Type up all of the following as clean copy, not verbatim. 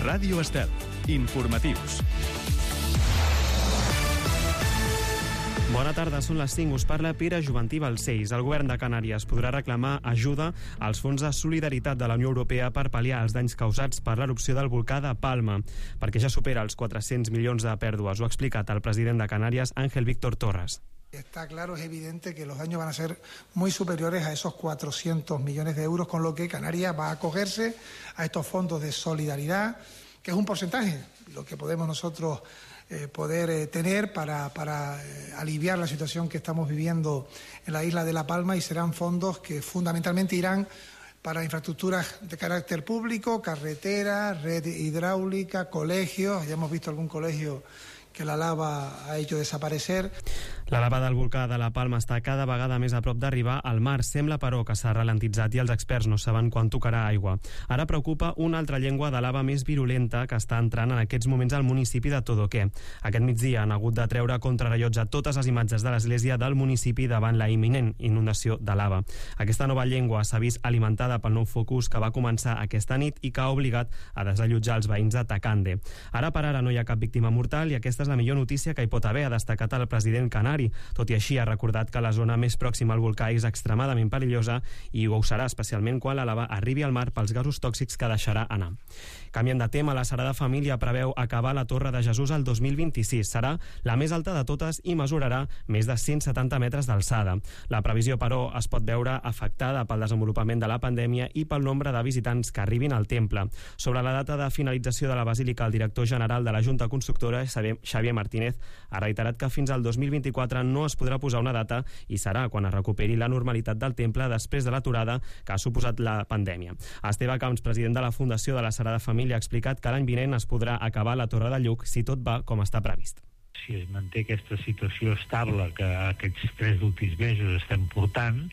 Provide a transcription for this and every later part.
Ràdio Estel. Informatius. Bona tarda, són les 5. Us parla Pere Juventí Balcells. El govern de Canàries podrà reclamar ajuda als fons de solidaritat de la Unió Europea per pal·liar els danys causats per l'erupció del volcà de Palma, perquè ja supera els 400 milions de pèrdues. Ho ha explicat el president de Canàries, Ángel Víctor Torres. Está claro, es evidente que los daños van a ser muy superiores a esos 400 millones de euros, con lo que Canarias va a acogerse a estos fondos de solidaridad, que es un porcentaje, lo que podemos nosotros poder tener para aliviar la situación que estamos viviendo en la isla de La Palma, y serán fondos que fundamentalmente irán para infraestructuras de carácter público, carreteras, red hidráulica, colegios. Ya hemos visto algún colegio que la lava ha hecho desaparecer. La lava del volcà de La Palma està cada vegada més a prop d'arribar al mar. Sembla, però, que s'ha ralentitzat i els experts no saben quan tocarà aigua. Ara preocupa una altra llengua de lava més virulenta que està entrant en aquests moments al municipi de Todoqué. Aquest migdia han hagut de treure contrarellotge totes les imatges de l'església del municipi davant la imminent inundació de lava. Aquesta nova llengua s'ha vist alimentada pel nou focus que va començar aquesta nit i que ha obligat a desallotjar els veïns de Tacande. Ara per ara no hi ha cap víctima mortal i aquesta és la millor notícia que hi pot haver, ha destacat el president canari. Tot i així, ha recordat que la zona més pròxima al volcà és extremadament perillosa i ho serà especialment quan la lava arribi al mar pels gasos tòxics que deixarà anar. Canviant de tema, la Sagrada Família preveu acabar la Torre de Jesús el 2026. Serà la més alta de totes i mesurarà més de 170 metres d'alçada. La previsió, però, es pot veure afectada pel desenvolupament de la pandèmia i pel nombre de visitants que arribin al temple. Sobre la data de finalització de la Basílica, el director general de la Junta Constructora, Xavier Martínez, ha reiterat que fins al 2024 no es podrà posar una data i serà quan es recuperi la normalitat del temple després de l'aturada que ha suposat la pandèmia. Esteve Camps, president de la Fundació de la Sagrada Família, ha explicat que l'any vinent es podrà acabar la Torre de Lluc si tot va com està previst. Si es manté aquesta situació estable que aquests 3 últims mesos estem portant,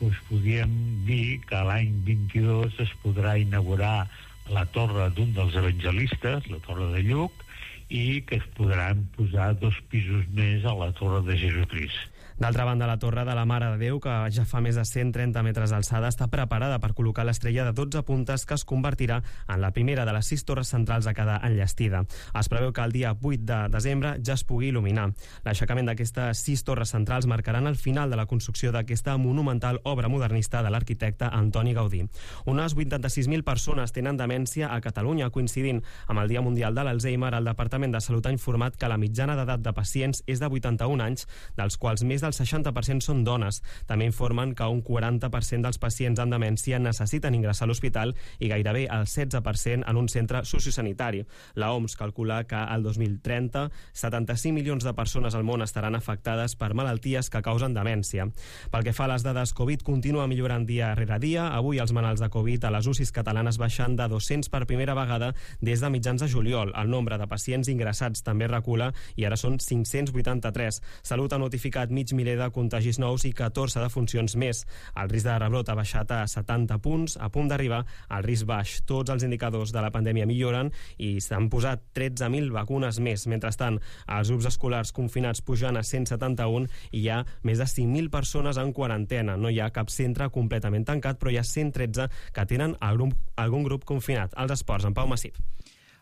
doncs podríem dir que l'any 22 es podrà inaugurar la torre d'un dels evangelistes, la Torre de Lluc, i que es podran posar 2 pisos més a la Torre de Jesucrist. D'altra banda, la Torre de la Mare de Déu, que ja fa més de 130 metres d'alçada, està preparada per col·locar l'estrella de 12 puntes que es convertirà en la primera de les 6 torres centrals a quedar enllestida. Es preveu que el dia 8 de desembre ja es pugui il·luminar. L'aixecament d'aquestes 6 torres centrals marcaran el final de la construcció d'aquesta monumental obra modernista de l'arquitecte Antoni Gaudí. Unes 86.000 persones tenen demència a Catalunya. Coincidint amb el Dia Mundial de l'Alzheimer, el Departament de Salut ha informat que la mitjana d'edat de pacients és de 81 anys, dels quals més del 60% són dones. També informen que un 40% dels pacients amb demència necessiten ingressar a l'hospital i gairebé el 16% en un centre sociosanitari. La OMS calcula que al 2030 75 milions de persones al món estaran afectades per malalties que causen demència. Pel que fa a les dades Covid, continua millorant dia rere dia. Avui els malalts de Covid a les UCIs catalanes baixen de 200 per primera vegada des de mitjans de juliol. El nombre de pacients ingressats també recula i ara són 583. Salut ha notificat mig miler de contagis nous i 14 defuncions més. El risc de rebrot ha baixat a 70 punts, a punt d'arribar al risc baix. Tots els indicadors de la pandèmia milloren i s'han posat 13.000 vacunes més. Mentrestant, els grups escolars confinats pujan a 171 i hi ha més de 5.000 persones en quarantena. No hi ha cap centre completament tancat, però hi ha 113 que tenen algun grup confinat. Els esports, en Pau Massip.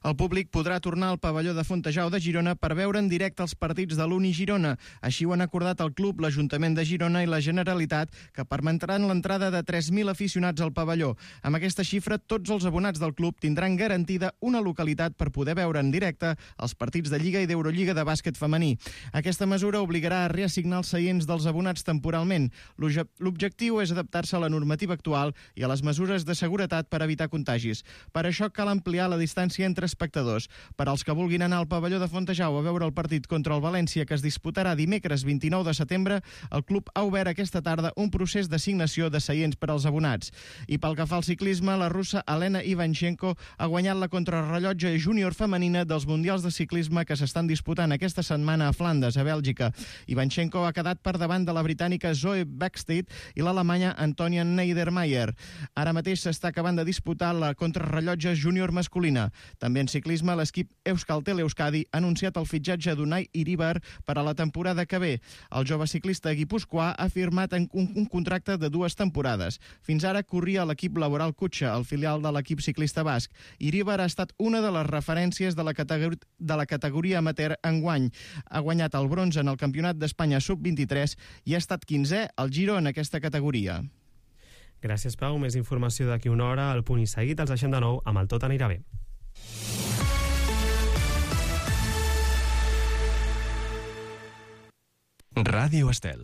El públic podrà tornar al pavelló de Fontejau de Girona per veure en directe els partits de l'Uni Girona. Així ho han acordat el club, l'Ajuntament de Girona i la Generalitat, que permetran l'entrada de 3.000 aficionats al pavelló. Amb aquesta xifra, tots els abonats del club tindran garantida una localitat per poder veure en directe els partits de Lliga i d'Eurolliga de bàsquet femení. Aquesta mesura obligarà a reassignar els seients dels abonats temporalment. L'objectiu és adaptar-se a la normativa actual i a les mesures de seguretat per evitar contagis. Per això cal ampliar la distància entre espectadors. Per als que vulguin anar al pavelló de Fontejau a veure el partit contra el València, que es disputarà dimecres 29 de setembre, el club ha obert aquesta tarda un procés d'assignació de seients per als abonats. I pel que fa al ciclisme, la russa Elena Ivanchenko ha guanyat la contrarrellotge júnior femenina dels Mundials de Ciclisme que s'estan disputant aquesta setmana a Flandes, a Bèlgica. Ivanchenko ha quedat per davant de la britànica Zoe Bäckstedt i l'alemanya Antonia Niedermayer. Ara mateix s'està acabant de disputar la contrarrellotge júnior masculina. També També en ciclisme, l'equip Euskaltel Euskadi ha anunciat el fitxatge d'Unai Iribar per a la temporada que ve. El jove ciclista guipuscoà ha firmat un contracte de 2 temporades. Fins ara corria a l'equip Laboral Cutxa, el filial de l'equip ciclista basc. Iribar ha estat una de les referències de la categoria amateur enguany. Ha guanyat el bronze en el Campionat d'Espanya Sub-23 i ha estat 15è al Giro en aquesta categoria. Gràcies, Pau. Més informació d'aquí una hora. Al Punt i Seguit els deixem de nou amb el Tot anirà bé. Ràdio Estel.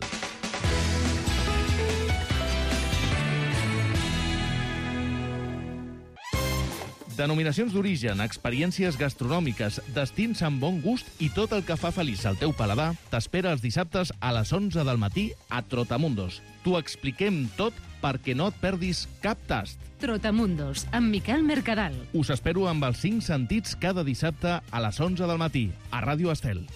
Denominacions d'origen, experiències gastronòmiques, destins amb bon gust i tot el que fa feliç al teu paladar t'espera els dissabtes a les 11 del matí a Trotamundos. T'ho expliquem tot perquè no et perdis cap tast. Trotamundos, amb Miquel Mercadal. Us espero amb els 5 sentits cada dissabte a les 11 del matí a Ràdio Estel.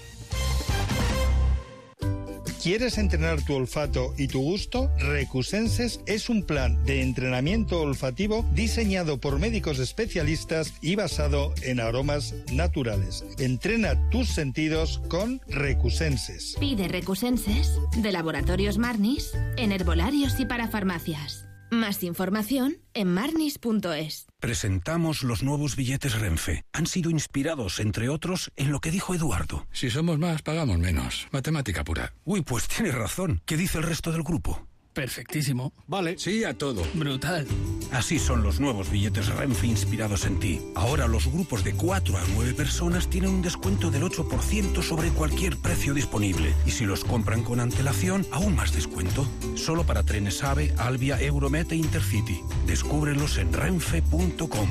¿Quieres entrenar tu olfato y tu gusto? Recusenses es un plan de entrenamiento olfativo diseñado por médicos especialistas y basado en aromas naturales. Entrena tus sentidos con Recusenses. Pide Recusenses de Laboratorios Marnis en herbolarios y para farmacias. Más información en marnis.es. Presentamos los nuevos billetes Renfe. Han sido inspirados, entre otros, en lo que dijo Eduardo. Si somos más, pagamos menos. Matemática pura. Uy, pues tienes razón. ¿Qué dice el resto del grupo? Perfectísimo. Vale. Sí a todo. Brutal. Así son los nuevos billetes Renfe inspirados en ti. Ahora los grupos de 4 a 9 personas tienen un descuento del 8% sobre cualquier precio disponible. Y si los compran con antelación, aún más descuento. Solo para trenes AVE, Albia, Euromet e Intercity. Descúbrelos en renfe.com.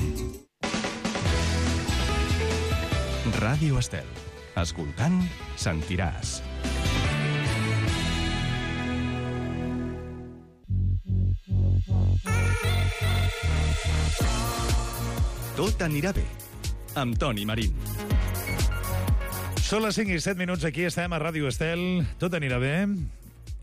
Ràdio Estel. Escoltant, sentiràs. Tot anirà bé, amb Toni Marín. Són les 5 i 7 minuts, aquí estem a Ràdio Estel. Tot anirà bé,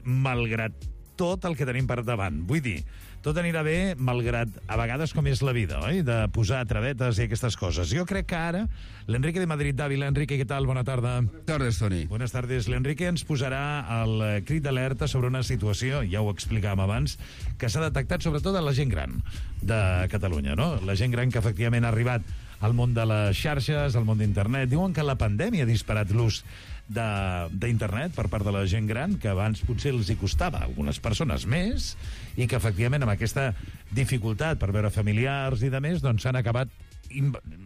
malgrat tot el que tenim per davant. Vull dir, tot anirà bé, malgrat a vegades com és la vida, oi? De posar travetes i aquestes coses. Jo crec que ara, l'Enrique de Madrid d'Àvila. Enrique, què tal? Bona tarda. Buenas tardes, Toni. Buenas tardes. L'Enrique ens posarà el crit d'alerta sobre una situació, ja ho explicàvem abans, que s'ha detectat sobretot a la gent gran de Catalunya, no? La gent gran que efectivament ha arribat al món de les xarxes, al món d'internet. Diuen que la pandèmia ha disparat l'ús d'internet per part de la gent gran, que abans potser els hi costava a algunes persones més, i que efectivament amb aquesta dificultat per veure familiars i de més, doncs s'han acabat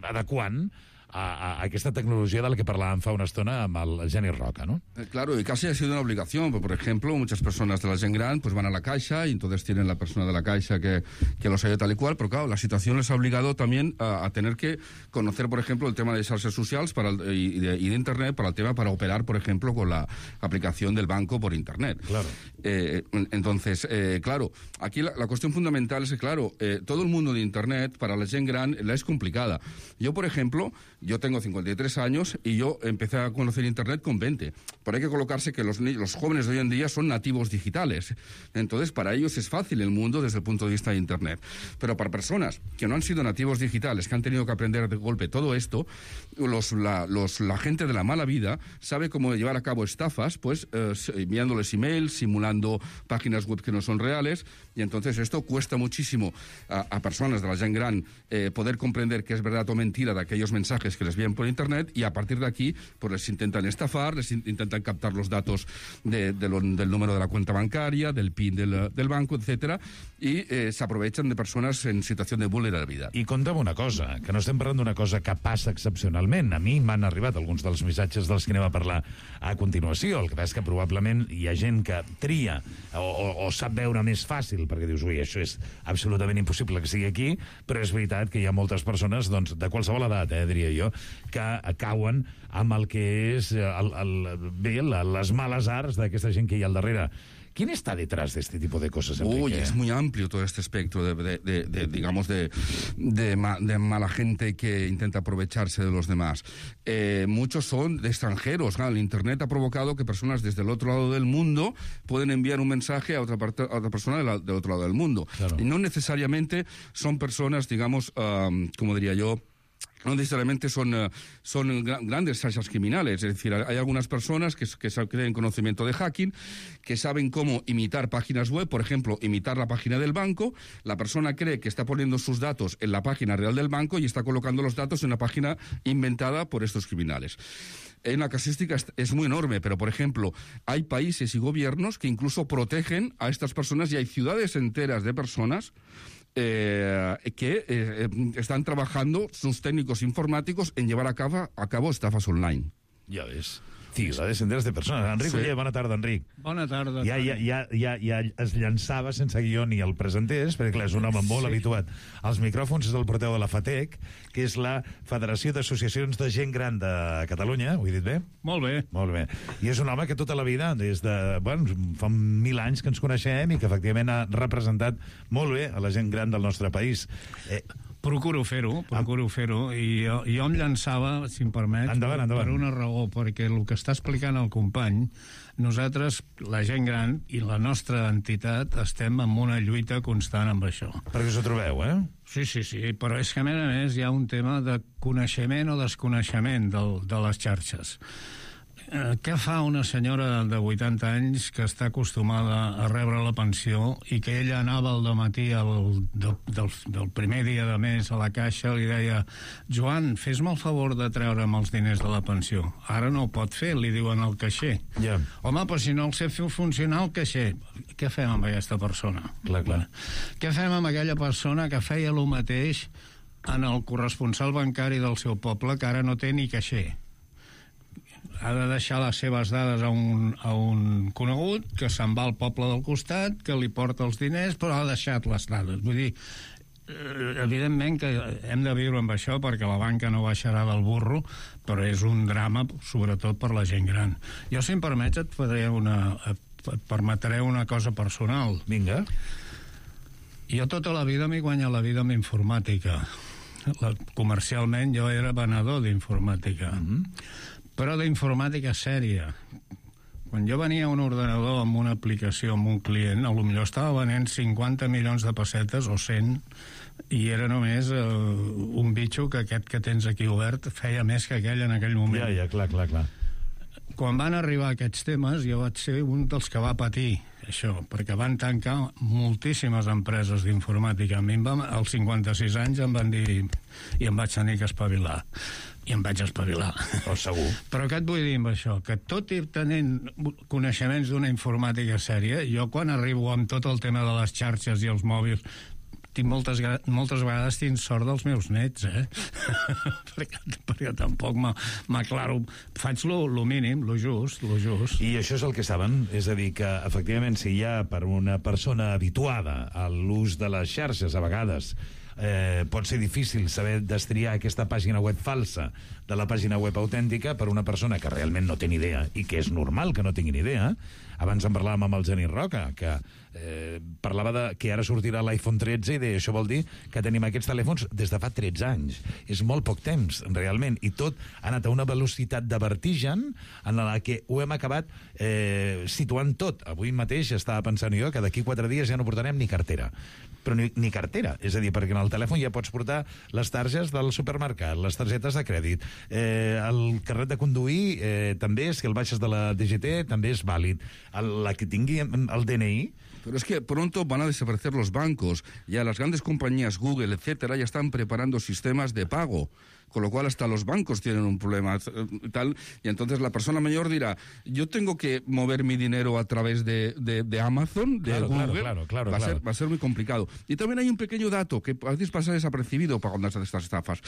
adequant a aquesta tecnología de la que hablábamos fa una estona amb el Geni Roca, ¿no? Claro, y casi ha sido una obligación. Por ejemplo, muchas personas de la gent gran pues van a la caixa y entonces tienen la persona de la caixa que los ayuda tal y cual, pero claro, la situación les ha obligado también a tener que conocer, por ejemplo, el tema de xarxes socials y de Internet para el tema para operar, por ejemplo, con la aplicación del banco por Internet. Claro. Entonces, claro, aquí la cuestión fundamental es que, claro, todo el mundo de Internet para la gent gran la es complicada. Yo, por ejemplo, yo tengo 53 años y yo empecé a conocer Internet con 20. Pero hay que colocarse que los jóvenes de hoy en día son nativos digitales. Entonces, para ellos es fácil el mundo desde el punto de vista de Internet. Pero para personas que no han sido nativos digitales, que han tenido que aprender de golpe todo esto, la gente de la mala vida sabe cómo llevar a cabo estafas, pues enviándoles emails, simulando páginas web que no son reales, y entonces esto cuesta muchísimo a personas de la gent gran poder comprender que es verdad o mentira de aquellos mensajes que les envían por Internet, y a partir de aquí pues les intentan estafar, les intentan captar los datos del número de la cuenta bancaria, del PIN del banco, etcétera, y se aprovechan de persones en situació de vulnerabilitat. I conta'm una cosa, que no estem parlant d'una cosa que passa excepcionalment. A mi m'han arribat alguns dels missatges dels que anem a parlar a continuació. El que passa és que probablement hi ha gent que tria o sap veure més fàcil, perquè dius, ui, això és absolutament impossible que sigui aquí, però és veritat que hi ha moltes persones, doncs, de qualsevol edat, diria jo, que cauen amb el que és les males arts d'aquesta gent que hi ha al darrere. ¿Quién está detrás de este tipo de cosas, Enrique? Uy, es muy amplio todo este espectro de mala gente que intenta aprovecharse de los demás. Muchos son de extranjeros. El Internet ha provocado que personas desde el otro lado del mundo pueden enviar un mensaje a otra persona del otro lado del mundo. Claro. Y no necesariamente son personas, digamos, como diría yo, no necesariamente son grandes xarxas criminales. Es decir, hay algunas personas que tienen conocimiento de hacking, que saben cómo imitar páginas web, por ejemplo, imitar la página del banco. La persona cree que está poniendo sus datos en la página real del banco y está colocando los datos en una página inventada por estos criminales. La casuística es muy enorme, pero, por ejemplo, hay países y gobiernos que incluso protegen a estas personas y hay ciudades enteras de personas que están trabajando sus técnicos informàticos en llevar a cabo estafas online. Ja ves. Ciudades enteres de persones. Enric Oller, bona tarda, Enric. Bona tarda. Ja es llançava sense guió ni el presentés, perquè clar, és un home molt habituat als micròfons, és el porteu de la FATEC, que és la Federació d'Associacions de Gent Gran de Catalunya, ho he dit bé? Molt bé. Molt bé. I és un home que tota la vida, des de... Bueno, fa 1000 anys que ens coneixem i que efectivament ha representat molt bé a la gent gran del nostre país. Procuro fer-ho, i jo em llançava, si em permet, endavant. Per una raó, perquè el que està explicant el company, nosaltres, la gent gran i la nostra entitat, estem en una lluita constant amb això. Perquè us ho trobeu, eh? Sí, però és que a més hi ha un tema de coneixement o desconeixement de les xarxes. Què fa una senyora de 80 anys que està acostumada a rebre la pensió i que ella anava al dematí del primer dia de mes a la caixa i li deia: Joan, fes-me el favor de treure'm els diners de la pensió. Ara no ho pot fer, li diuen al caixer. Yeah. Home, però si no el sé fer funcionar el caixer, què fem amb aquesta persona? Clar. Què fem amb aquella persona que feia el mateix en el corresponsal bancari del seu poble, que ara no té ni caixer? Ha de deixar les seves dades a un conegut que se'n va al poble del costat, que li porta els diners, però ha deixat les dades. Vull dir, evidentment que hem de viure amb això perquè la banca no baixarà del burro, però és un drama sobretot per la gent gran. Jo, si em permets, et permetré una cosa personal. Vinga. Jo tota la vida m'he guanyat la vida amb informàtica. Comercialment jo era venedor d'informàtica. Però d'informàtica sèria. Quan jo venia a un ordenador amb una aplicació amb un client, potser estava venent 50 milions de pessetes o 100, i era només un bitxo que aquest que tens aquí obert feia més que aquell en aquell moment. Ja, clar. Quan van arribar aquests temes, jo vaig ser un dels que va patir això, perquè van tancar moltíssimes empreses d'informàtica. A mi als 56 anys em van dir i em vaig tenir que espavilar. I em vaig espavilar. Oh, segur. Però què et vull dir amb això? Que tot i tenint coneixements d'una informàtica sèria, jo quan arribo amb tot el tema de les xarxes i els mòbils, moltes vegades tinc sort dels meus nets, perquè tampoc m'aclaro. Faig lo mínim, lo just. I això és el que saben? És a dir, que efectivament si hi ha per una persona habituada a l'ús de les xarxes, a vegades pot ser difícil saber destriar aquesta pàgina web falsa de la pàgina web autèntica per una persona que realment no té ni idea, i que és normal que no tingui ni idea. Abans en parlàvem amb el Genís Roca, que parlava de que ara sortirà l'iPhone 13 i deia, això vol dir que tenim aquests telèfons des de fa 13 anys. És molt poc temps, realment, i tot ha anat a una velocitat de vertigen en la que ho hem acabat situant tot. Avui mateix estava pensant jo que d'aquí 4 dies ja no portarem ni cartera. Però ni cartera, és a dir, perquè en el telèfon ja pots portar les targes del supermercat, les targetes de crèdit, el carnet de conduir també, si el baixes de la DGT, també és vàlid. La que tingui el DNI... Pero es que pronto van a desaparecer los bancos. Ya las grandes compañías, Google, etcétera, ya están preparando sistemas de pago. Con lo cual hasta los bancos tienen un problema tal, y entonces la persona mayor dirá, yo tengo que mover mi dinero a través de Amazon, de Google. Claro. Va a ser muy complicado. Y también hay un pequeño dato que a veces pasa desapercibido para cuando hacen estas estafas,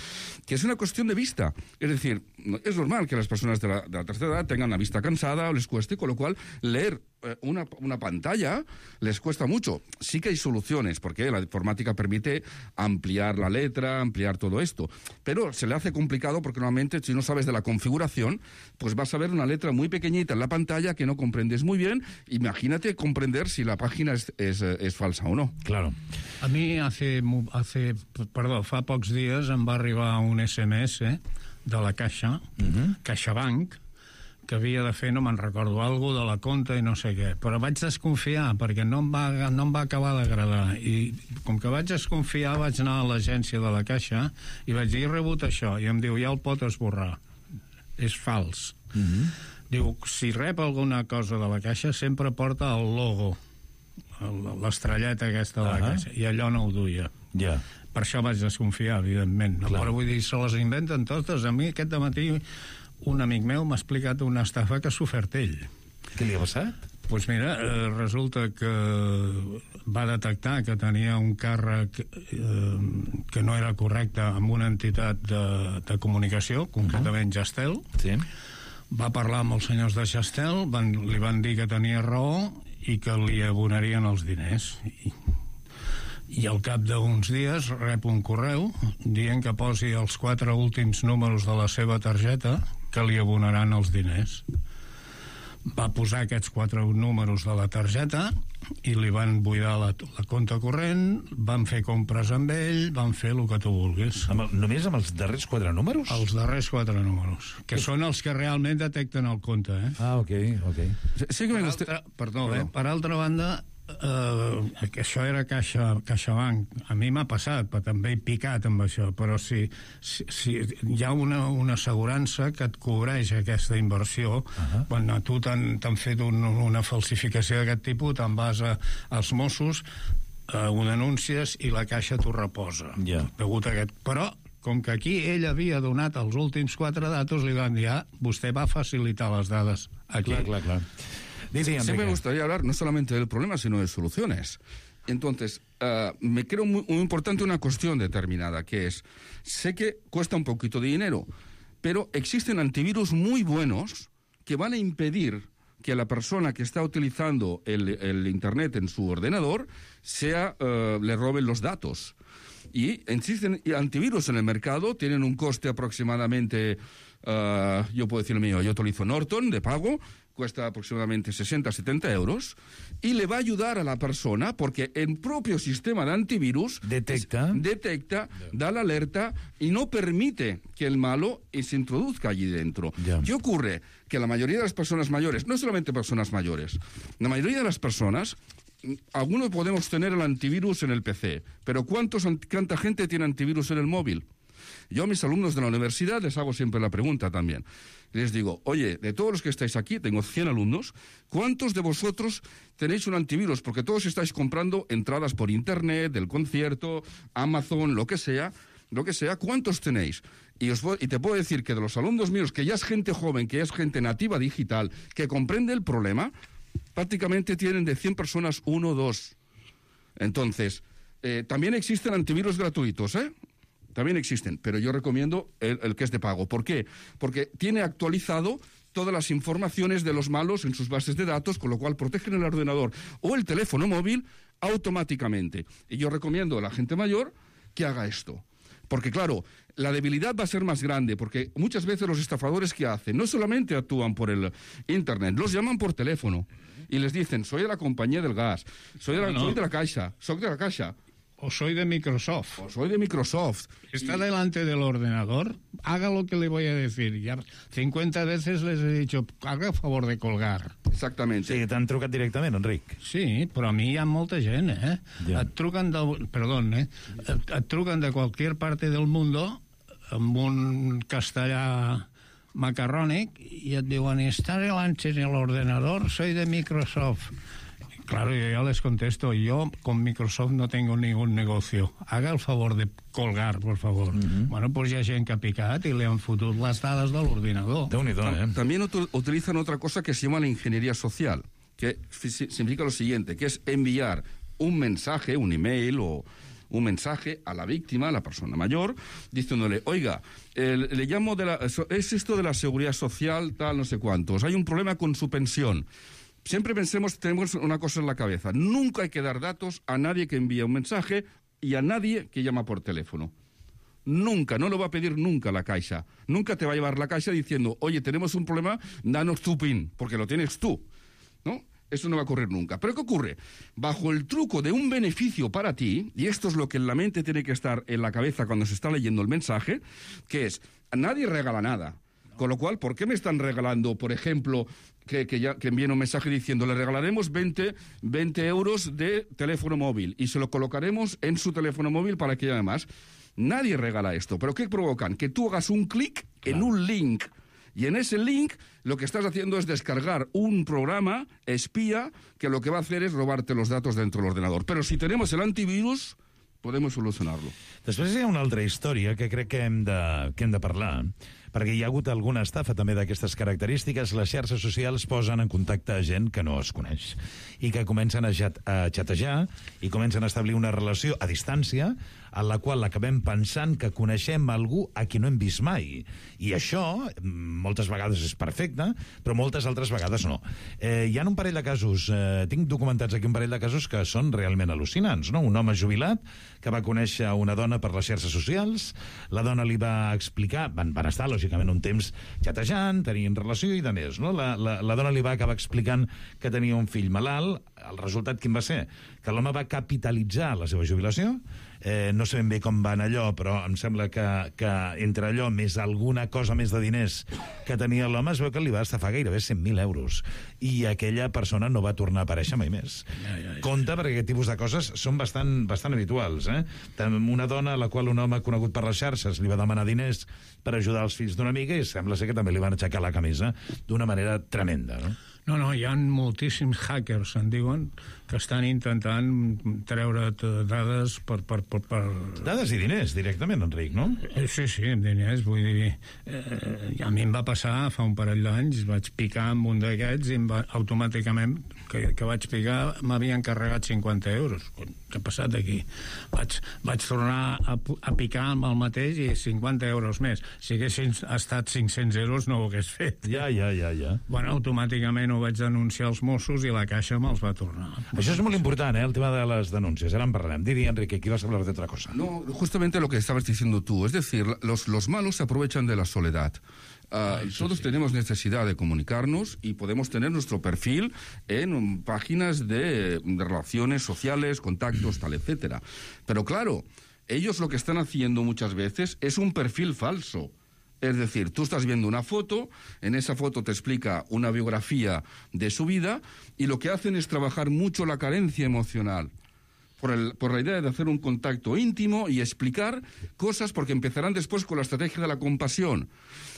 que es una cuestión de vista. Es decir, es normal que las personas de la tercera edad tengan la vista cansada o les cueste, con lo cual leer una pantalla les cuesta mucho. Sí que hay soluciones, porque la informática permite ampliar la letra, ampliar todo esto, pero se le hace complicado porque normalmente si no sabes de la configuración, pues vas a ver una letra muy pequeñita en la pantalla que no comprendes muy bien. Imagínate comprender si la página es falsa o no. Claro. A mi fa pocs dies em va arribar un SMS de la Caixa, CaixaBank, que havia de fer, no me'n recordo, alguna de la compta i no sé què, però vaig desconfiar perquè no em va acabar d'agradar, i com que vaig desconfiar vaig anar a l'agència de la Caixa i vaig dir, he rebut això, i em diu, ja el pot esborrar, és fals. Diu, si rep alguna cosa de la Caixa sempre porta el logo, l'estrelleta aquesta de la Caixa, i allò no ho duia. Per això vaig desconfiar, evidentment, no? Però vull dir, se les inventen totes. A mi aquest dematí un amic meu m'ha explicat una estafa que ha sofert ell. Què li ha passat? Doncs mira, resulta que va detectar que tenia un càrrec que no era correcte amb una entitat de comunicació, concretament Gestel. Va parlar amb els senyors de Gestel, li van dir que tenia raó i que li abonarien els diners. I al cap d'uns dies rep un correu dient que posi els 4 últims números de la seva targeta que li abonaran els diners. Va posar aquests 4 números de la targeta i li van buidar la compte corrent, van fer compres amb ell, van fer el que tu vulguis. Només amb els darrers 4 números? Els darrers 4 números, que són els que realment detecten el compte. Ok. Per altra banda, que això era CaixaBank. A mi m'ha passat, però també he picat amb això, però si hi ha una assegurança que et cobreix aquesta inversió, quan a tu t'han fet una falsificació d'aquest tipus, te'n vas als Mossos, ho denuncies i la Caixa t'ho reposa. Però com que aquí ell havia donat els últims 4 datos, li van dir, vostè va facilitar les dades aquí. Clar. Sí, me gustaría hablar no solamente del problema, sino de soluciones. Entonces, me creo muy importante una cuestión determinada, que es, sé que cuesta un poquito de dinero, pero existen antivirus muy buenos que van a impedir que la persona que está utilizando el Internet en su ordenador le roben los datos. Y existen antivirus en el mercado, tienen un coste aproximadamente, yo puedo decir el mío, yo utilizo Norton de pago, cuesta aproximadamente 60-70 euros, y le va a ayudar a la persona porque el propio sistema de antivirus detecta, da la alerta y no permite que el malo se introduzca allí dentro. ¿Qué ocurre? Que la mayoría de las personas mayores, no solamente personas mayores, la mayoría de las personas, algunos podemos tener el antivirus en el PC, pero ¿cuánta gente tiene antivirus en el móvil? Yo a mis alumnos de la universidad les hago siempre la pregunta también. Les digo, oye, de todos los que estáis aquí, tengo 100 alumnos, ¿cuántos de vosotros tenéis un antivirus? Porque todos estáis comprando entradas por Internet, del concierto, Amazon, lo que sea, ¿cuántos tenéis? Y te puedo decir que de los alumnos míos, que ya es gente joven, que ya es gente nativa digital, que comprende el problema, prácticamente tienen de 100 personas 1 o 2. Entonces, también existen antivirus gratuitos, También existen, pero yo recomiendo el que es de pago. ¿Por qué? Porque tiene actualizado todas las informaciones de los malos en sus bases de datos, con lo cual protegen el ordenador o el teléfono móvil automáticamente. Y yo recomiendo a la gente mayor que haga esto. Porque, claro, la debilidad va a ser más grande, porque muchas veces los estafadores que hacen no solamente actúan por el Internet, los llaman por teléfono y les dicen, soy de la compañía del gas, soy de la Caixa, o soy de Microsoft. Está delante del ordenador, haga lo que le voy a decir. Ya 50 veces les he dicho, haga el favor de colgar. Exactamente. Sí, t'han trucat directament, Enric. Sí, però a mi hi ha molta gent, Et truquen et truquen de cualquier parte del mundo amb un castellà macarrònic i et diuen, está delante del ordenador, soy de Microsoft. Claro, yo ya les contesto, yo con Microsoft no tengo ningún negocio. Haga el favor de colgar, por favor. Bueno, pues hi ha gent que ha picat y le han fotut les dades de l'ordinador. También utilizan otra cosa que se llama la ingeniería social, que significa lo siguiente, que es enviar un mensaje, un email o un mensaje a la víctima, a la persona mayor, diciéndole, oiga, le llamo es esto de la seguridad social, tal, no sé cuántos, hay un problema con su pensión. Siempre tenemos una cosa en la cabeza. Nunca hay que dar datos a nadie que envía un mensaje y a nadie que llama por teléfono. Nunca, no lo va a pedir nunca la Caixa. Nunca te va a llevar la Caixa diciendo, oye, tenemos un problema, danos tu PIN, porque lo tienes tú. ¿No? Eso no va a ocurrir nunca. ¿Pero qué ocurre? Bajo el truco de un beneficio para ti, y esto es lo que en la mente tiene que estar en la cabeza cuando se está leyendo el mensaje, que es, nadie regala nada. Con lo cual, ¿por qué me están regalando, por ejemplo, que envíen un mensaje diciendo le regalaremos 20 euros de teléfono móvil y se lo colocaremos en su teléfono móvil para que llame más? Nadie regala esto. ¿Pero qué provocan? Que tú hagas un clic en un link. Y en ese link lo que estás haciendo es descargar un programa espía que lo que va a hacer es robarte los datos dentro del ordenador. Però si tenemos el antivirus, podemos solucionarlo. Després hi ha una altra història que crec que hem de parlar, perquè hi ha hagut alguna estafa també d'aquestes característiques. Les xarxes socials posen en contacte a gent que no es coneix i que comencen a xatejar i comencen a establir una relació a distància en la qual acabem pensant que coneixem algú a qui no hem vist mai. I això, moltes vegades és perfecte, però moltes altres vegades no. Hi ha un parell de casos, tinc documentats aquí un parell de casos que són realment al·lucinants, no? Un home jubilat que va conèixer una dona per les xarxes socials, la dona li va explicar, van estar, lògicament, un temps xatejant, tenien relació i de més, no? La dona li va acabar explicant que tenia un fill malalt. El resultat quin va ser? Que l'home va capitalitzar la seva jubilació. No sé ben bé com va anar allò, però em sembla que entre allò més alguna cosa més de diners que tenia l'home es veu que li va estafar gairebé 100.000 euros i aquella persona no va tornar a aparèixer mai més. Compte, perquè aquest tipus de coses són bastant habituals. Una dona a la qual un home conegut per les xarxes li va demanar diners per ajudar els fills d'una amiga i sembla ser que també li van aixecar la camisa d'una manera tremenda, no? No, hi ha moltíssims hackers, en diuen, que estan intentant treure't dades per... Dades i diners, directament, Enric, no? Sí, diners, vull dir... A mi em va passar fa un parell d'anys, vaig picar amb un d'aquests i automàticament, que vaig picar, m'havien carregat 50 euros. Què ha passat aquí? Vaig tornar a picar amb el mateix i 50 euros més. Si haguessin estat 500 euros no ho hagués fet. Ja. Bueno, automàticament ho vaig denunciar als Mossos i la Caixa me'ls va tornar. Això és molt important, el tema de les denúncies. Ara en parlarem. Didi, Enrique, aquí vas a hablar de otra cosa. No, justamente lo que estabas diciendo tú. Es decir, los malos se aprovechan de la soledad. Todos tenemos necesidad de comunicarnos y podemos tener nuestro perfil en páginas de relaciones sociales, contactos, tal, etcétera. Pero claro, ellos lo que están haciendo muchas veces es un perfil falso. Es decir, tú estás viendo una foto, en esa foto te explica una biografía de su vida y lo que hacen es trabajar mucho la carencia emocional. Por la idea de hacer un contacto íntimo y explicar cosas, porque empezarán después con la estrategia de la compasión.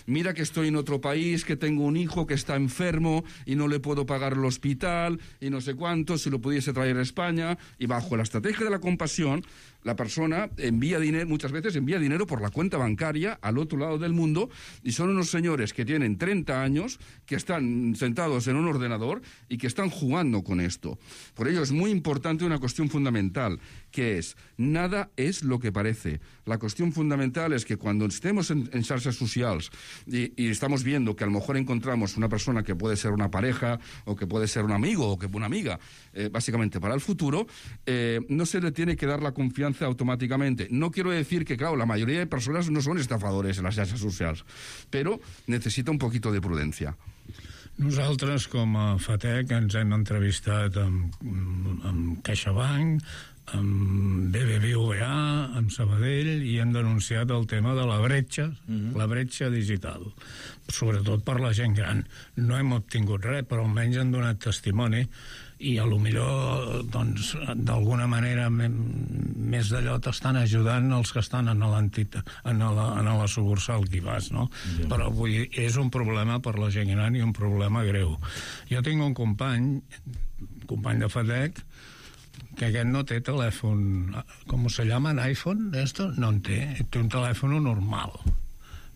Mira que estoy en otro país, que tengo un hijo que está enfermo y no le puedo pagar el hospital y no sé cuánto, si lo pudiese traer a España. Y bajo la estrategia de la compasión, la persona envía dinero, muchas veces envía dinero por la cuenta bancaria al otro lado del mundo, y son unos señores que tienen 30 años, que están sentados en un ordenador y que están jugando con esto. Por ello es muy importante una cuestión fundamental, que es, nada es lo que parece. La cuestión fundamental es que cuando estemos en xarxes socials y estamos viendo que a lo mejor encontramos una persona que puede ser una pareja o que puede ser un amigo o que una amiga, básicamente para el futuro, no se le tiene que dar la confianza automáticamente. No quiero decir que, claro, la mayoría de personas no son estafadores en les xarxes socials, però necessita un poquito de prudència. Nosaltres, com a FATEC, ens hem entrevistat amb CaixaBank, amb BBVA, amb Sabadell, i hem denunciat el tema de la bretxa, la bretxa digital, sobretot per la gent gran. No hem obtingut res, però almenys han donat testimoni, i a lo millor, doncs, d'alguna manera més d'allò t'estan ajudant els que estan en la sucursal que hi vas, no? Ja. Però vull dir, és un problema per la gent gran i un problema greu. Jo tinc un company de FATEC, que aquest no té telèfon, com se llama, iPhone, esto? No en té un telèfon normal.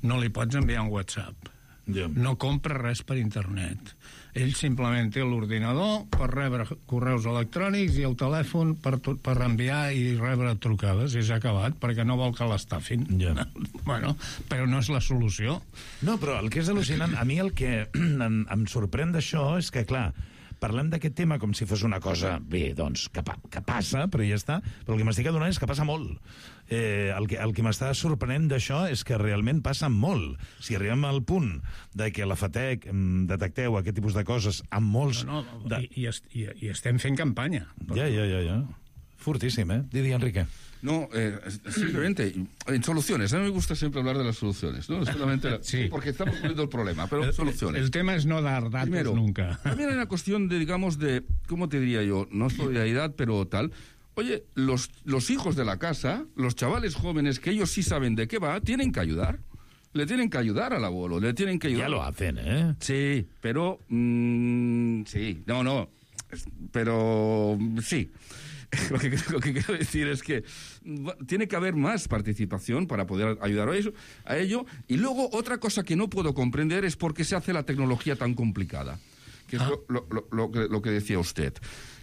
No li pots enviar un WhatsApp. Yeah. No compra res per internet. Ell simplement té l'ordinador per rebre correus electrònics i el telèfon per enviar i rebre trucades, i s'ha acabat, perquè no vol que l'estafin. Yeah. Bueno, però no és la solució. No, però el que és al·lucinant, a mi el que em sorprèn d'això és que, clar, parlem d'aquest tema com si fos una cosa, bé, doncs, que passa, però ja està, però el que m'estic adonant és que passa molt. El que m'està sorprenent d'això és que realment passa molt. Si arribem al punt de que la FATEC detecteu aquest tipus de coses amb molts... I estem fent campanya. Ja. Fortíssim, Didi, Enrique. No, simplemente, en soluciones. A mí me gusta siempre hablar de las soluciones, ¿no? Solamente sí, porque estamos poniendo el problema, pero soluciones. El tema es no dar datos primero, nunca. También hay una cuestión de, digamos, de, ¿cómo te diría yo? No solidaridad, pero tal. Oye, los hijos de la casa, los chavales jóvenes, que ellos sí saben de qué va, tienen que ayudar. Le tienen que ayudar al abuelo, le tienen que ayudar. Ya lo hacen, Sí, pero... sí, no, pero sí. Lo que quiero decir es que tiene que haber más participación para poder ayudar a ello. Y luego, otra cosa que no puedo comprender es por qué se hace la tecnología tan complicada. Que es lo que decía usted.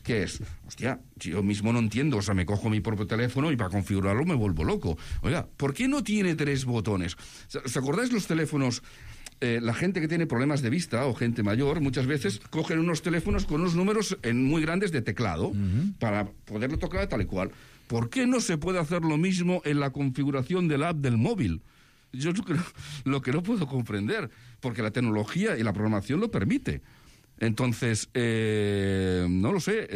Que es, hostia, yo mismo no entiendo. O sea, me cojo mi propio teléfono y para configurarlo me vuelvo loco. Oiga, ¿por qué no tiene 3 botones? ¿Os acordáis los teléfonos? La gente que tiene problemas de vista o gente mayor muchas veces cogen unos teléfonos con unos números muy grandes de teclado para poderlo tocar tal y cual. ¿Por qué no se puede hacer lo mismo en la configuración de la app del móvil? Yo creo lo que no puedo comprender, porque la tecnología y la programación lo permite. Entonces, no lo sé,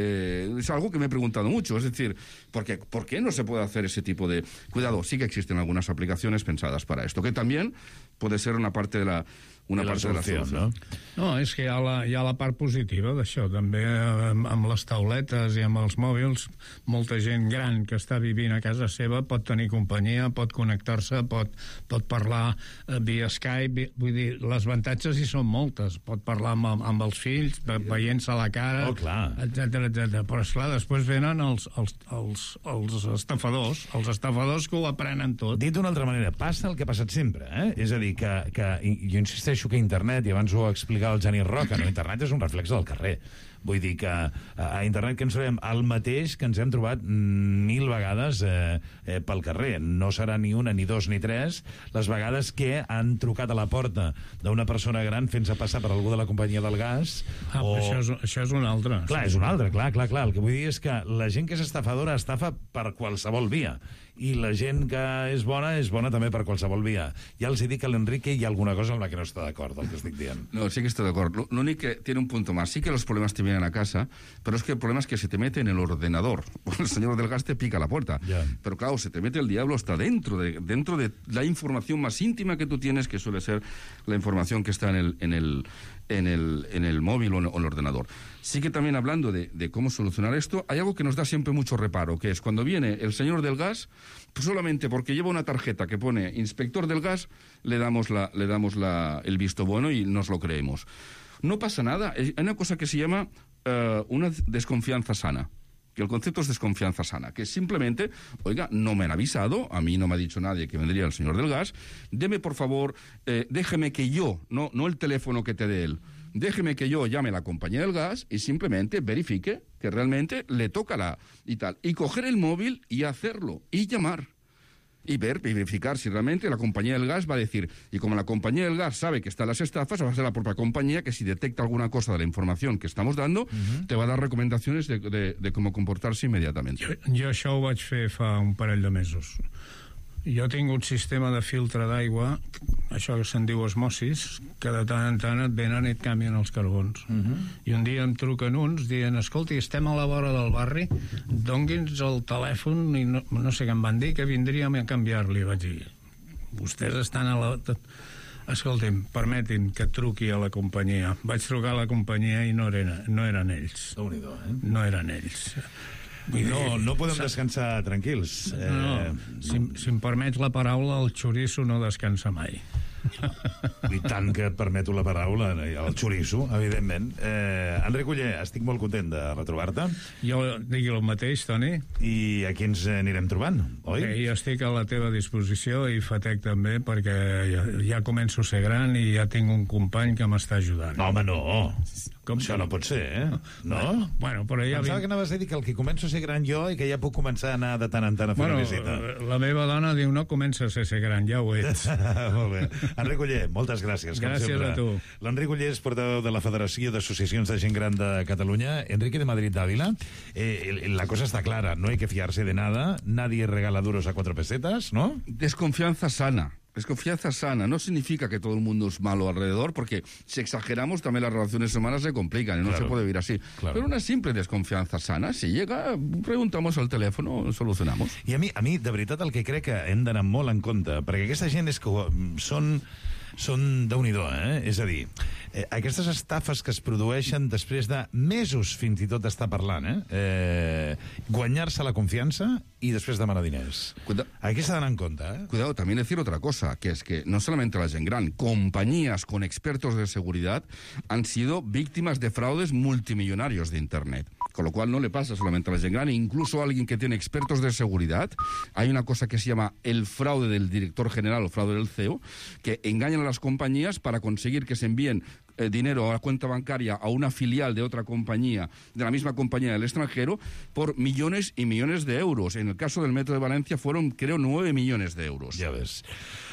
es algo que me he preguntado mucho, es decir, ¿por qué no se puede hacer ese tipo de... Cuidado, sí que existen algunas aplicaciones pensadas para esto, que también puede ser una parte de la solució. No, és que hi ha la part positiva d'això, també amb les tauletes i amb els mòbils, molta gent gran que està vivint a casa seva pot tenir companyia, pot connectar-se, pot parlar via Skype, vull dir, les avantatges hi són moltes, pot parlar amb els fills, veient-se a la cara, etc. Però, esclar, després venen els estafadors que ho aprenen tot. Dit d'una altra manera, passa el que ha passat sempre, és a dir, que jo insisteixo que internet, i abans ho explicava el Genís Roca, no? Internet és un reflex del carrer. Vull dir que a internet que ens trobem el mateix que ens hem trobat 1000 vegades pel carrer. No serà ni una, ni dos, ni tres les vegades que han trucat a la porta d'una persona gran fent-se passar per algú de la companyia del gas. Això és un altre. Clar, és un altre, clar. El que vull dir és que la gent que és estafadora estafa per qualsevol via. I la gent que és bona també per qualsevol via. Ja els dic a l'Enrique hi ha alguna cosa amb la que no està d'acord, el que estic dient. No, sí que estoy de acuerdo. Lo único que tiene un punto más. Sí que los problemas te vienen a casa, pero es que el problema es que se te mete en el ordenador. El señor del gas te pica la puerta. Yeah. Pero claro, se te mete el diablo hasta dentro de la información más íntima que tú tienes, que suele ser la información que está en el móvil o en el ordenador. Sí que también hablando de cómo solucionar esto, hay algo que nos da siempre mucho reparo, que es cuando viene el señor del gas, pues solamente porque lleva una tarjeta que pone inspector del gas, le damos el visto bueno y nos lo creemos. No pasa nada. Hay una cosa que se llama una desconfianza sana. Que el concepto es desconfianza sana, que simplemente, oiga, no me han avisado, a mí no me ha dicho nadie que vendría el señor del gas, deme por favor, déjeme que yo, no el teléfono que te dé él, déjeme que yo llame a la compañía del gas y simplemente verifique que realmente le toca y tal, y coger el móvil y hacerlo, y llamar. Y verificar si realmente la compañía del gas va a decir, y como la compañía del gas sabe que están las estafas, va a ser la propia compañía que si detecta alguna cosa de la información que estamos dando, te va a dar recomendaciones de cómo comportarse inmediatamente. Jo això ho vaig fer fa un parell de mesos. Jo tinc un sistema de filtre d'aigua, això que se'n diu osmosis, que de tant en tant et venen i et canvien els carbons. I un dia em truquen uns dient, escolti, estem a la vora del barri, dongui'ns el telèfon, i no sé què em van dir, que vindríem a canviar-li. Vaig dir, vostès estan a la... Escolti'm, permeti'm que truqui a la companyia. Vaig trucar a la companyia i no eren ells. Déu-n'hi-do, No eren ells. No podem descansar tranquils. Si em permets la paraula, el xoriço no descansa mai. I tant que et permeto la paraula, el xoriço, evidentment. Enric Oller, estic molt content de retrobar-te. Jo digui el mateix, Toni. I aquí ens anirem trobant, oi? Jo estic a la teva disposició i Fatec també, perquè ja començo a ser gran i ja tinc un company que m'està ajudant. No, home, no. Això no pot ser, No? Bueno, però ja... Pensava que anaves a dir que el que començo a ser gran jo i que ja puc començar a anar de tant en tant a fer una visita. La meva dona diu, no comences a ser gran, ja ho ets. Molt bé. Enric Oller, moltes gràcies. Gràcies a tu. L'Enric Oller és portaveu de la Federació d'Associacions de Gent Gran de Catalunya. Enrique de Madrid Dávila, la cosa está clara, no hay que fiarse de nada, nadie regala duros a 4 pesetas, ¿no? Desconfianza sana. Desconfianza sana no significa que todo el mundo es malo alrededor, porque si exageramos también las relaciones humanas se complican y no se puede vivir así. Pero una simple desconfianza sana, si llega, preguntamos al teléfono, solucionamos. I a mi, de veritat, el que crec que hem d'anar molt en compte, perquè aquesta gent és que són Déu-n'hi-do, És a dir, aquestes estafes que es produeixen després de mesos fins i tot d'estar parlant, guanyar-se la confiança y després demanar diners. Aquí s'ha d'anar en compte, Cuidado, también decir otra cosa, que es que no solamente la gent gran, compañías con expertos de seguridad han sido víctimas de fraudes multimillonarios de Internet. Con lo cual no le pasa solamente a la gent gran, incluso a alguien que tiene expertos de seguridad. Hay una cosa que se llama el fraude del director general o fraude del CEO, que engañan a las compañías para conseguir que se envíen dinero a la cuenta bancaria a una filial de otra compañía, de la misma compañía del extranjero, por millones y millones de euros. En el caso del Metro de Valencia fueron, creo, 9 millones de euros. Ja ves.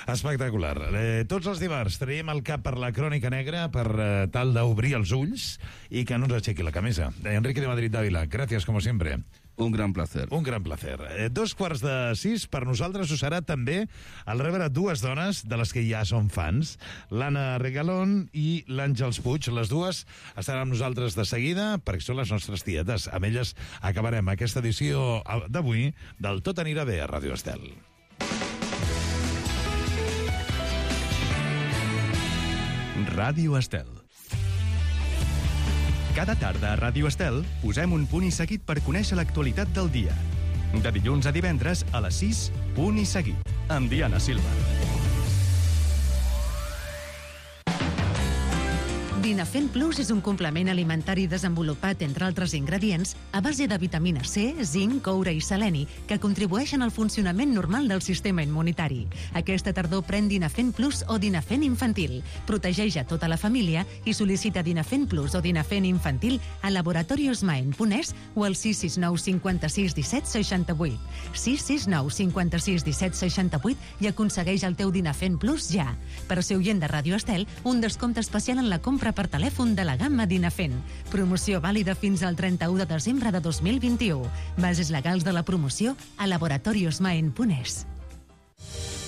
Espectacular. Tots els dimarts traiem el cap per la crònica negra per tal d'obrir els ulls i que no ens aixequi la camisa. Enrique de Madrid Dávila, gràcies, como siempre. Un gran placer. Un gran placer. 5:45, per nosaltres ho serà també al rebre dues dones de les que ja són fans, l'Anna Regalón i l'Àngels Puig. Les dues estaran amb nosaltres de seguida perquè són les nostres tietes. Amb elles acabarem aquesta edició d'avui del Tot anirà bé a Ràdio Estel. Ràdio Estel. Cada tarda a Ràdio Estel posem un punt i seguit per conèixer l'actualitat del dia. De dilluns a divendres a les 6, punt i seguit, amb Diana Silva. Dinafen Plus és un complement alimentari desenvolupat, entre altres ingredients, a base de vitamina C, zinc, coure i seleni, que contribueixen al funcionament normal del sistema immunitari. Aquesta tardor pren Dinafen Plus o Dinafen Infantil. Protegeix a tota la família i sol·licita Dinafen Plus o Dinafen Infantil a laboratoriosmaen.es o al 669 56 17 68. 669 56 17 68 i aconsegueix el teu Dinafen Plus ja. Per ser oient de Ràdio Estel, un descompte especial en la compra per telèfon de la gamma Dinafen. Promoció vàlida fins al 31 de desembre de 2021. Bases legals de la promoció a laboratoriosmaen.es.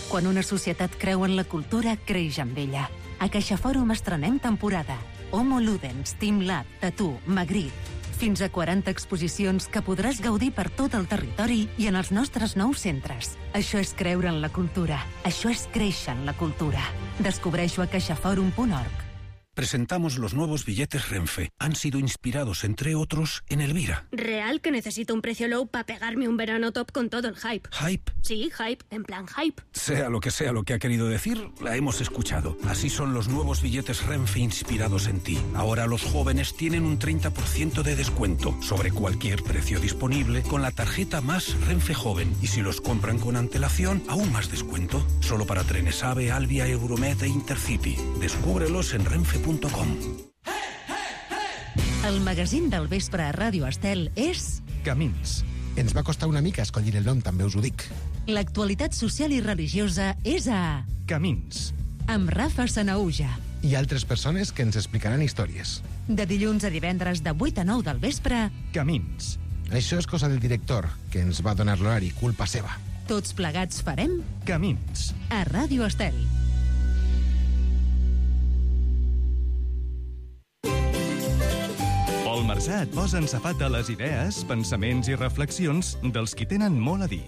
Quan una societat creu en la cultura, creix amb ella. A CaixaFòrum estrenem temporada. Homo Ludens, Team Lab, Tattoo, Magritte. Fins a 40 exposicions que podràs gaudir per tot el territori i en els nostres nous centres. Això és creure en la cultura. Això és créixer en la cultura. Descobreix-ho a caixaforum.org. Presentamos los nuevos billetes Renfe. Han sido inspirados, entre otros, en Elvira. Real que necesito un precio low para pegarme un verano top con todo el hype. ¿Hype? Sí, hype, en plan hype. Sea lo que ha querido decir, la hemos escuchado. Así son los nuevos billetes Renfe inspirados en ti. Ahora los jóvenes tienen un 30% de descuento sobre cualquier precio disponible con la tarjeta Más Renfe Joven. Y si los compran con antelación, aún más descuento. Solo para trenes AVE, Alvia, Euromed e Intercity. Descúbrelos en renfe.com. El magazín del vespre a Ràdio Estel és... Camins. Ens va costar una mica escollir el nom, també us ho dic. L'actualitat social i religiosa és a... Camins. Amb Rafa Sanaúja. I altres persones que ens explicaran històries. De dilluns a divendres de 8 a 9 del vespre... Camins. Això és cosa del director, que ens va donar l'horari, culpa seva. Tots plegats farem... Camins. A Ràdio Estel. Pol Marsà et posa en safata les idees, pensaments i reflexions dels qui tenen molt a dir.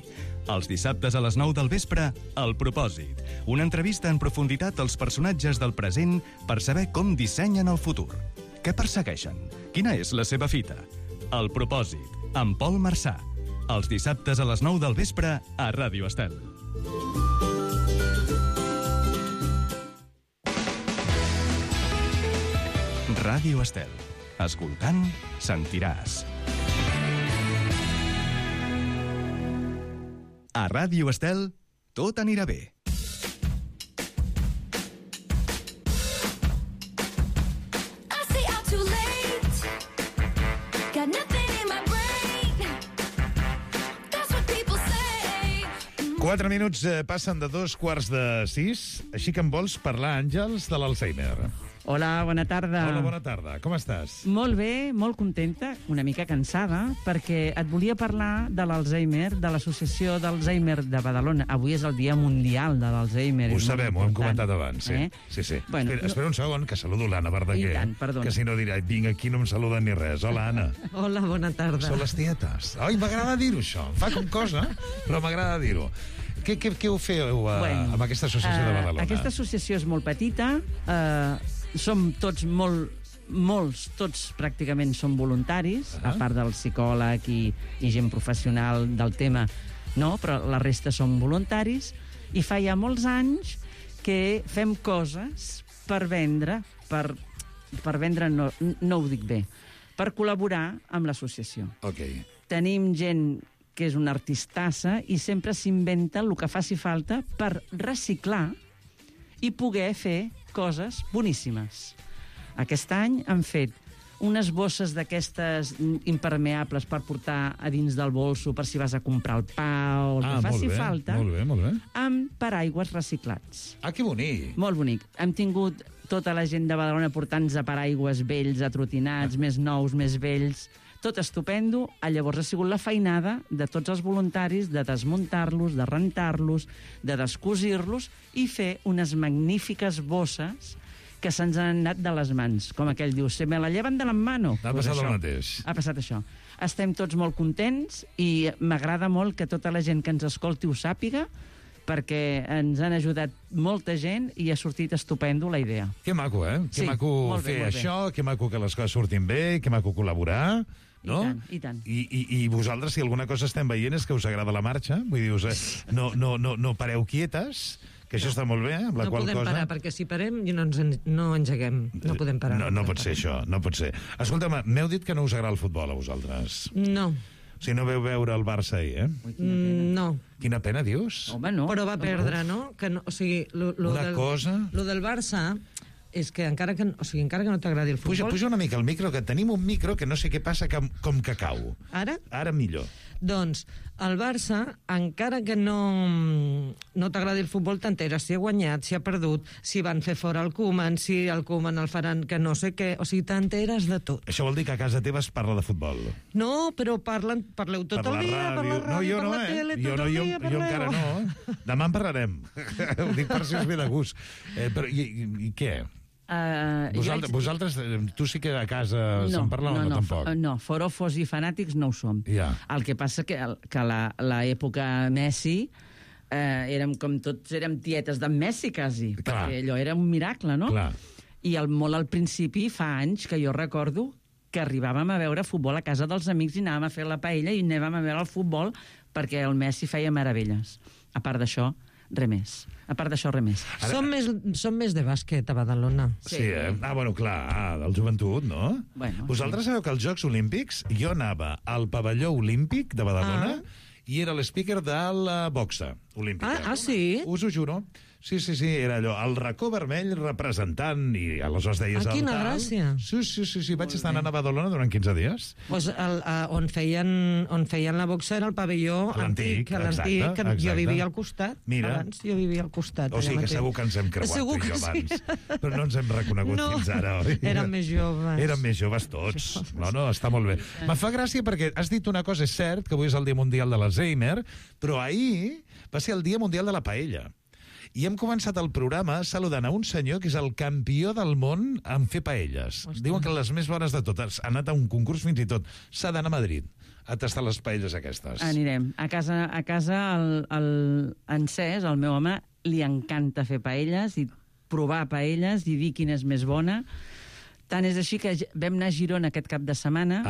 Els dissabtes a les 9 del vespre, El Propòsit. Una entrevista en profunditat als personatges del present per saber com dissenyen el futur. Què persegueixen? Quina és la seva fita? El Propòsit, amb Pol Marsà. Els dissabtes a les 9 del vespre a Ràdio Estel. Ràdio Estel. Escoltant, sentiràs. A Ràdio Estel, tot anirà bé. I stay out too late. Got nothing in my brain. That's what people say. 4 minuts passen de 5:45, així que em vols parlar, Àngels, de l'Alzheimer. Hola, bona tarda. Hola, bona tarda. Com estàs? Molt bé, molt contenta, una mica cansada, perquè et volia parlar de l'Alzheimer, de l'Associació d'Alzheimer de Badalona. Avui és el Dia Mundial de l'Alzheimer. Ho sabem, ho hem comentat abans, sí. Sí. Bueno, espera un segon, que saludo l'Anna Verdaguer. I tant, perdona. Que si no dirà, vinc aquí, no em saluden ni res. Hola, Anna. Hola, bona tarda. Són les tietes. Ai, m'agrada dir-ho, això. Em fa com cosa, però m'agrada dir-ho. Què ho feu amb aquesta associació de Badalona? Aquesta associació és molt petita, som tots tots pràcticament són voluntaris, a part del psicòleg i gent professional del tema, no, però la resta són voluntaris, i fa ja molts anys que fem coses per vendre, per vendre no ho dic bé, per col·laborar amb l'associació. Okay. Tenim gent que és una artistassa i sempre s'inventa el que faci falta per reciclar i poder fer coses boníssimes. Aquest any han fet unes bosses d'aquestes impermeables per portar a dins del bolso per si vas a comprar el pa o el que faci falta, molt bé. amb paraigües reciclats. Ah, que bonic! Molt bonic. Hem tingut tota la gent de Badalona portant-nos a paraigües vells, atrotinats, més nous, més vells. Tot estupendo. Llavors ha sigut la feinada de tots els voluntaris de desmuntar-los, de rentar-los, de descosir-los i fer unes magnífiques bosses que se'ns han anat de les mans. Com aquell diu, se me la llevan de la mano. Ha passat el mateix. Ha passat això. Estem tots molt contents i m'agrada molt que tota la gent que ens escolti ho sàpiga, perquè ens han ajudat molta gent i ha sortit estupendo la idea. Que maco, eh? Que maco fer això, que maco que les coses surtin bé, que maco col·laborar, no? I tant. I vosaltres, si alguna cosa estem veient és que us agrada la marxa, vull dir, no pareu quietes, que això està molt bé, amb la qual cosa... No podem parar, perquè si parem no engeguem, no podem parar. No pot ser això, no pot ser. Escolta'm, m'heu dit que no us agrada el futbol a vosaltres. No. Si no veu veure el Barça ahir, eh? No. Quina pena, dius? Home, no. Però va perdre, no? O sigui, lo del Barça és que encara que no t'agradi el futbol... Puja una mica el micro, que tenim un micro que no sé què passa, com que cau. Ara? Ara millor. Doncs el Barça, encara que no t'agradi el futbol, t'enteres si ha guanyat, si ha perdut, si van fer fora el Koeman, si el Koeman el faran que no sé què... O sigui, t'enteres de tot. Això vol dir que a casa teva es parla de futbol? No, però parleu tot el dia, per la ràdio, per la tele, tot el dia parleu. Jo encara no. Demà en parlarem. Ho dic per si us ve de gust. Però i què? Vosaltres, tu sí que a casa se'n parla o no tampoc? No, forofos i fanàtics no ho som. Ja. El que passa que l'època Messi érem com tots, érem tietes d'en Messi quasi, perquè allò era un miracle, no? Clar. I molt al principi, fa anys que jo recordo que arribàvem a veure futbol a casa dels amics i anàvem a fer la paella i anàvem a veure el futbol perquè el Messi feia meravelles. A part d'això, res més. A part d'això, res més. Som més de bàsquet a Badalona. Sí, eh? Bueno, clar, del joventut, no? Bueno, vosaltres sabeu que als Jocs Olímpics jo anava al pavelló olímpic de Badalona i era l'speaker de la boxa olímpica. Sí? Us ho juro. Sí, era allò, el racó vermell representant, i aleshores deies... Quina gràcia! Sí, vaig estar anant a Badalona durant 15 dies. Pues on feien la boxa era el pavelló antic, l'antic, que jo vivia al costat. Mira. Abans jo vivia al costat. O sigui que segur que ens hem creuat tu i jo abans. Però no ens hem reconegut fins ara, oi? Érem més joves. Érem més joves tots. No, està molt bé. Em fa gràcia perquè has dit una cosa, és cert, que avui és el Dia Mundial de l'Alzheimer, però ahir va ser el Dia Mundial de la Paella. I hem començat el programa saludant a un senyor que és el campió del món en fer paelles. Diuen que les més bones de totes. Ha anat a un concurs fins i tot. S'ha d'anar a Madrid a tastar les paelles aquestes. Anirem. A casa en Cés, el meu home, li encanta fer paelles i provar paelles i dir quina és més bona. Tant és així que vam anar a Girona aquest cap de setmana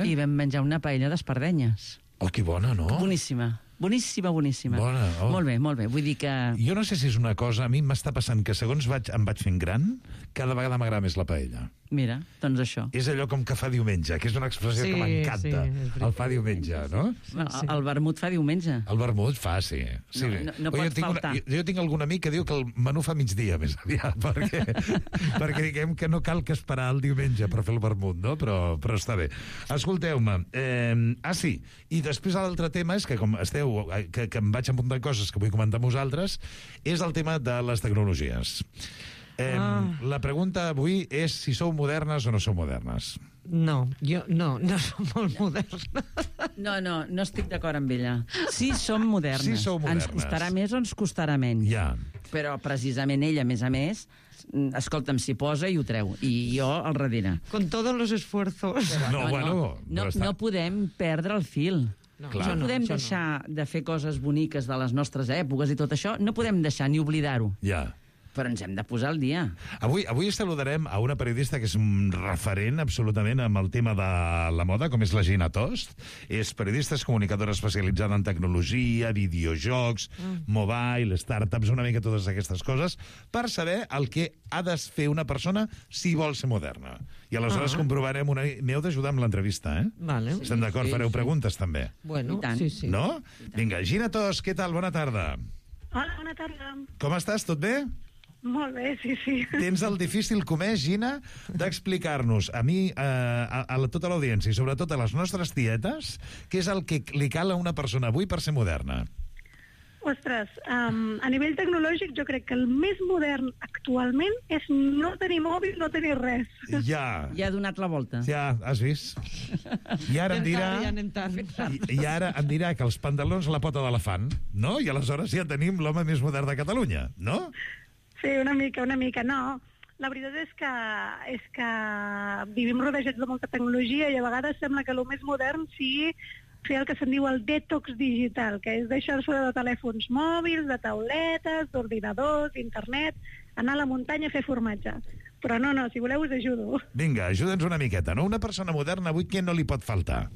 i vam menjar una paella d'espardenyes. Oh, que bona, no? Boníssima. Boníssima. Bona, oh. Molt bé. Vull dir que... Jo no sé si és una cosa... A mi m'està passant que segons em vaig fent gran, cada vegada m'agrada més la paella. Mira, doncs això. És allò com que fa diumenge, que és una expressió que m'encanta. El fa diumenge, no? El vermut fa diumenge. El vermut fa, sí. No pot faltar. Jo tinc algun amic que diu que el menú fa migdia més aviat, perquè diguem que no cal que esperar el diumenge per fer el vermut, no? Però està bé. Escolteu-me. Sí, i després l'altre tema és que com esteu, que em vaig apuntar coses que vull comentar amb vosaltres, és el tema de les tecnologies. La pregunta avui és si sou modernes o no sou modernes. No, jo no som molt moderna. No estic d'acord amb ella. Sí, som modernes. Sí, sou modernes. Ens costarà més o ens costarà menys. Ja. Però precisament ella, a més, escolta'm, s'hi posa i ho treu. I jo al darrere. Con todos los esfuerzos. No podem perdre el fil. No podem deixar de fer coses boniques de les nostres èpoques i tot això. No podem deixar ni oblidar-ho. Ja. Però ens hem de posar al dia. Avui saludarem a una periodista que és un referent absolutament amb el tema de la moda, com és la Gina Tost. És periodista, és comunicadora especialitzada en tecnologia, videojocs, mobile, startups, una mica totes aquestes coses, per saber el que ha de fer una persona si vol ser moderna. I aleshores comprovarem m'heu d'ajudar amb l'entrevista, eh? Vale. Estem d'acord? Fareu preguntes, també. Bueno, sí. No? Vinga, Gina Tost, què tal? Bona tarda. Hola, bona tarda. Com estàs? Tot bé? Molt bé, sí. Tens el difícil comès, Gina, d'explicar-nos a mi, a tota l'audiència i sobretot a les nostres tietes, què és el que li cal a una persona avui per ser moderna. Ostres, a nivell tecnològic jo crec que el més modern actualment és no tenir mòbil, no tenir res. Ja ha donat la volta. Ja, has vist? I ara em dirà... I ara em dirà que els pantalons a la pota d'elefant, no? I aleshores ja tenim l'home més modern de Catalunya, no? Sí, una mica, no. La veritat és que vivim rodejats de molta tecnologia i a vegades sembla que el més modern sigui fer el que se'n diu el detox digital, que és deixar-se de telèfons mòbils, de tauletes, d'ordinadors, d'internet, anar a la muntanya a fer formatge. Però no, si voleu us ajudo. Vinga, ajuda'ns una miqueta, no? Una persona moderna avui què no li pot faltar?